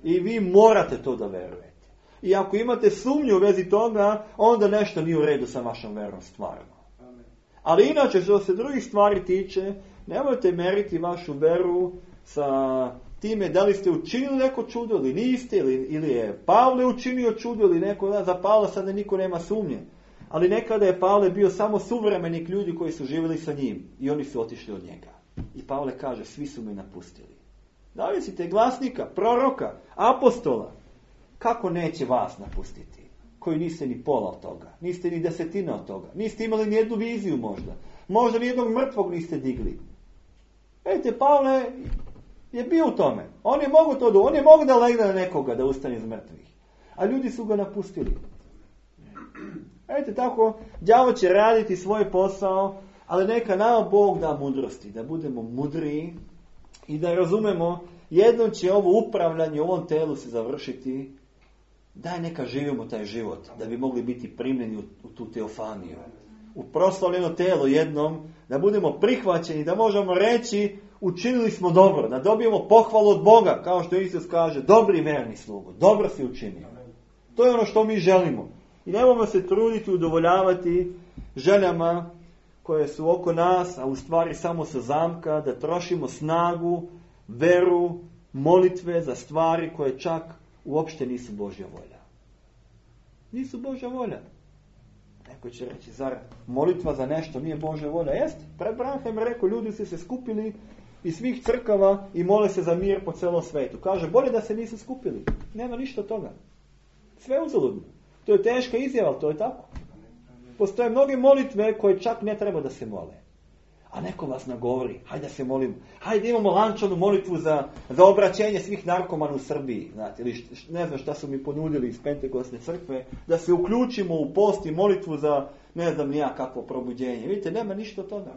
Speaker 1: I vi morate to da verujete. I ako imate sumnju u vezi toga, onda nešto nije u redu sa vašom verom stvarno. Amen. Ali inače, što se drugih stvari tiče, nemojte meriti vašu veru sa time da li ste učinili neko čudo ili niste, ili, ili je Pavle učinio čudo ili neko, da, za Pavla sada niko nema sumnje. Ali nekada je Pavle bio samo suvremenik ljudi koji su živjeli sa njim i oni su otišli od njega. I Pavle kaže, svi su me napustili. Da li ste glasnika, proroka, apostola? Kako neće vas napustiti? Koji niste ni pola od toga. Niste ni desetina od toga. Niste imali ni jednu viziju možda. Možda ni jednog mrtvog niste digli. Vidite, Pavle je bio u tome. On je mogu to, on je mogu da legne na nekoga da ustane iz mrtvih. A ljudi su ga napustili. Vidite, tako, đavo će raditi svoj posao, ali neka nama Bog da mudrosti. Da budemo mudriji i da razumemo, jednom će ovo upravljanje u ovom telu se završiti. Daj neka živimo taj život, da bi mogli biti primljeni u, u tu teofaniju. U proslavljeno telo jednom, da budemo prihvaćeni, da možemo reći učinili smo dobro, da dobijemo pohvalu od Boga, kao što Isus kaže, dobri verni slugo, dobro si učinio. To je ono što mi želimo. I nemojmo se truditi udovoljavati željama koje su oko nas, a u stvari samo sa zamka, da trošimo snagu, veru, molitve za stvari koje čak uopšte nisu Božja volja. Nisu Božja volja. Neko će reći, zar molitva za nešto nije Božja volja? Jeste. Pred Branham je rekao, ljudi su se skupili iz svih crkava i mole se za mir po celom svetu. Kaže, bolje da se nisu skupili. Nema ništa od toga. Sve uzaludno. To je teška izjava, ali to je tako. Postoje mnoge molitve koje čak ne treba da se mole. A neko vas nagovori, hajde da se molimo, hajde imamo lančanu molitvu za, za obraćenje svih narkomana u Srbiji, znate, ili št, ne znam šta su mi ponudili iz Pentekostne crkve, da se uključimo u post i molitvu za ne znam nija kakvo probuđenje. Vidite, nema ništa od toga.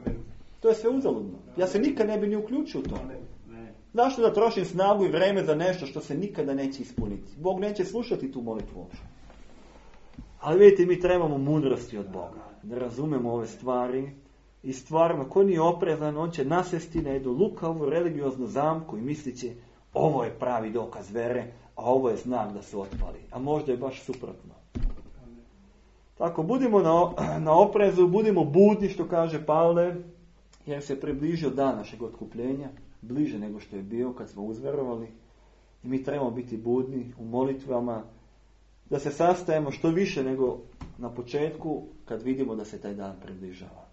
Speaker 1: To je sve uzaludno. Ja se nikad ne bi ni uključio u to. Zašto da trošim snagu i vreme za nešto što se nikada neće ispuniti? Bog neće slušati tu molitvu uopšte. Ali vidite, mi trebamo mudrosti od Boga, da razumemo ove stvari. I stvarno, ko nije oprezan, on će nasesti na jednu lukavu religioznu zamku i mislit će, ovo je pravi dokaz vere, a ovo je znak da su otpali. A možda je baš suprotno. Tako, budimo na, na oprezu, budimo budni, što kaže Pavle, jer se približio dan našeg otkupljenja, bliže nego što je bio kad smo uzverovali. I mi trebamo biti budni u molitvama, da se sastajemo što više nego na početku, kad vidimo da se taj dan približava.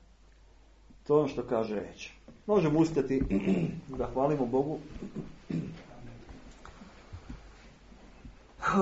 Speaker 1: To je ono što kaže reč. Možemo ustati da hvalimo Bogu.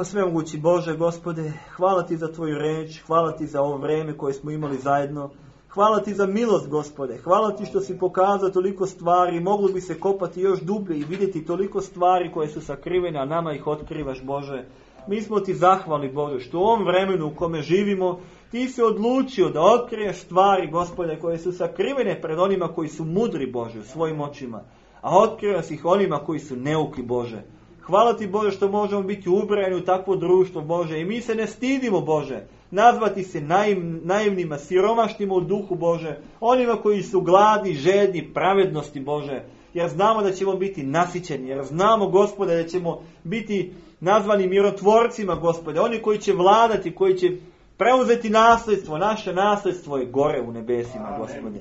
Speaker 1: Svemogući Bože, Gospode, hvala Ti za Tvoju reč, hvala Ti za ovo vreme koje smo imali zajedno, hvala Ti za milost, Gospode, hvala Ti što si pokazao toliko stvari, moglo bi se kopati još dublje i vidjeti toliko stvari koje su sakrivene, a nama ih otkrivaš, Bože. Mi smo Ti zahvalni, Bože, što u ovom vremenu u kome živimo, Ti se odlučio da otkriješ stvari, Gospode, koje su sakrivene pred onima koji su mudri, Bože, u svojim očima, a otkrivaš ih onima koji su neuki, Bože. Hvala Ti, Bože, što možemo biti ubrajani u takvo društvo, Bože, i mi se ne stidimo, Bože, nazvati se naiv, naivnima, siromašnima u duhu, Bože, onima koji su gladni, žedni, pravednosti, Bože, jer znamo da ćemo biti nasićeni, jer znamo, Gospode, da ćemo biti nazvani mirotvorcima, Gospode, oni koji će vladati, koji će preuzeti nasljedstvo, naše nasljedstvo je gore u nebesima, Gospode.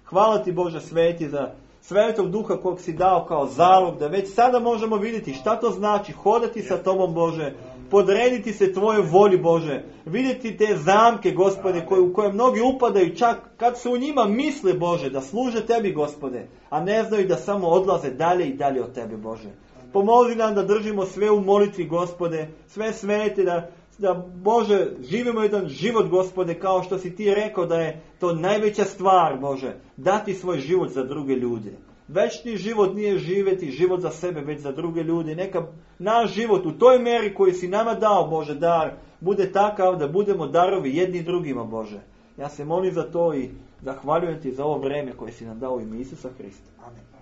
Speaker 1: Hvala Ti, Bože, sveti, za Svetog Duha kog si dao kao zalog, da već sada možemo vidjeti šta to znači hodati sa Tobom, Bože, podrediti se Tvojoj volji, Bože, vidjeti te zamke, Gospode, koje, u koje mnogi upadaju čak kad su u njima misle, Bože, da služe Tebi, Gospode, a ne znaju da samo odlaze dalje i dalje od Tebe, Bože. Pomozi nam da držimo sve u molitvi, Gospode, sve svete, da da, Bože, živimo jedan život, Gospode, kao što si Ti rekao da je to najveća stvar, Bože, dati svoj život za druge ljude. Večni život nije živjeti život za sebe, već za druge ljude. Neka naš život u toj meri koji si nama dao, Bože, dar, bude takav da budemo darovi jedni drugima, Bože. Ja se molim za to i zahvaljujem Ti za ovo vreme koje si nam dao u ime Isusa Hrista. Amen.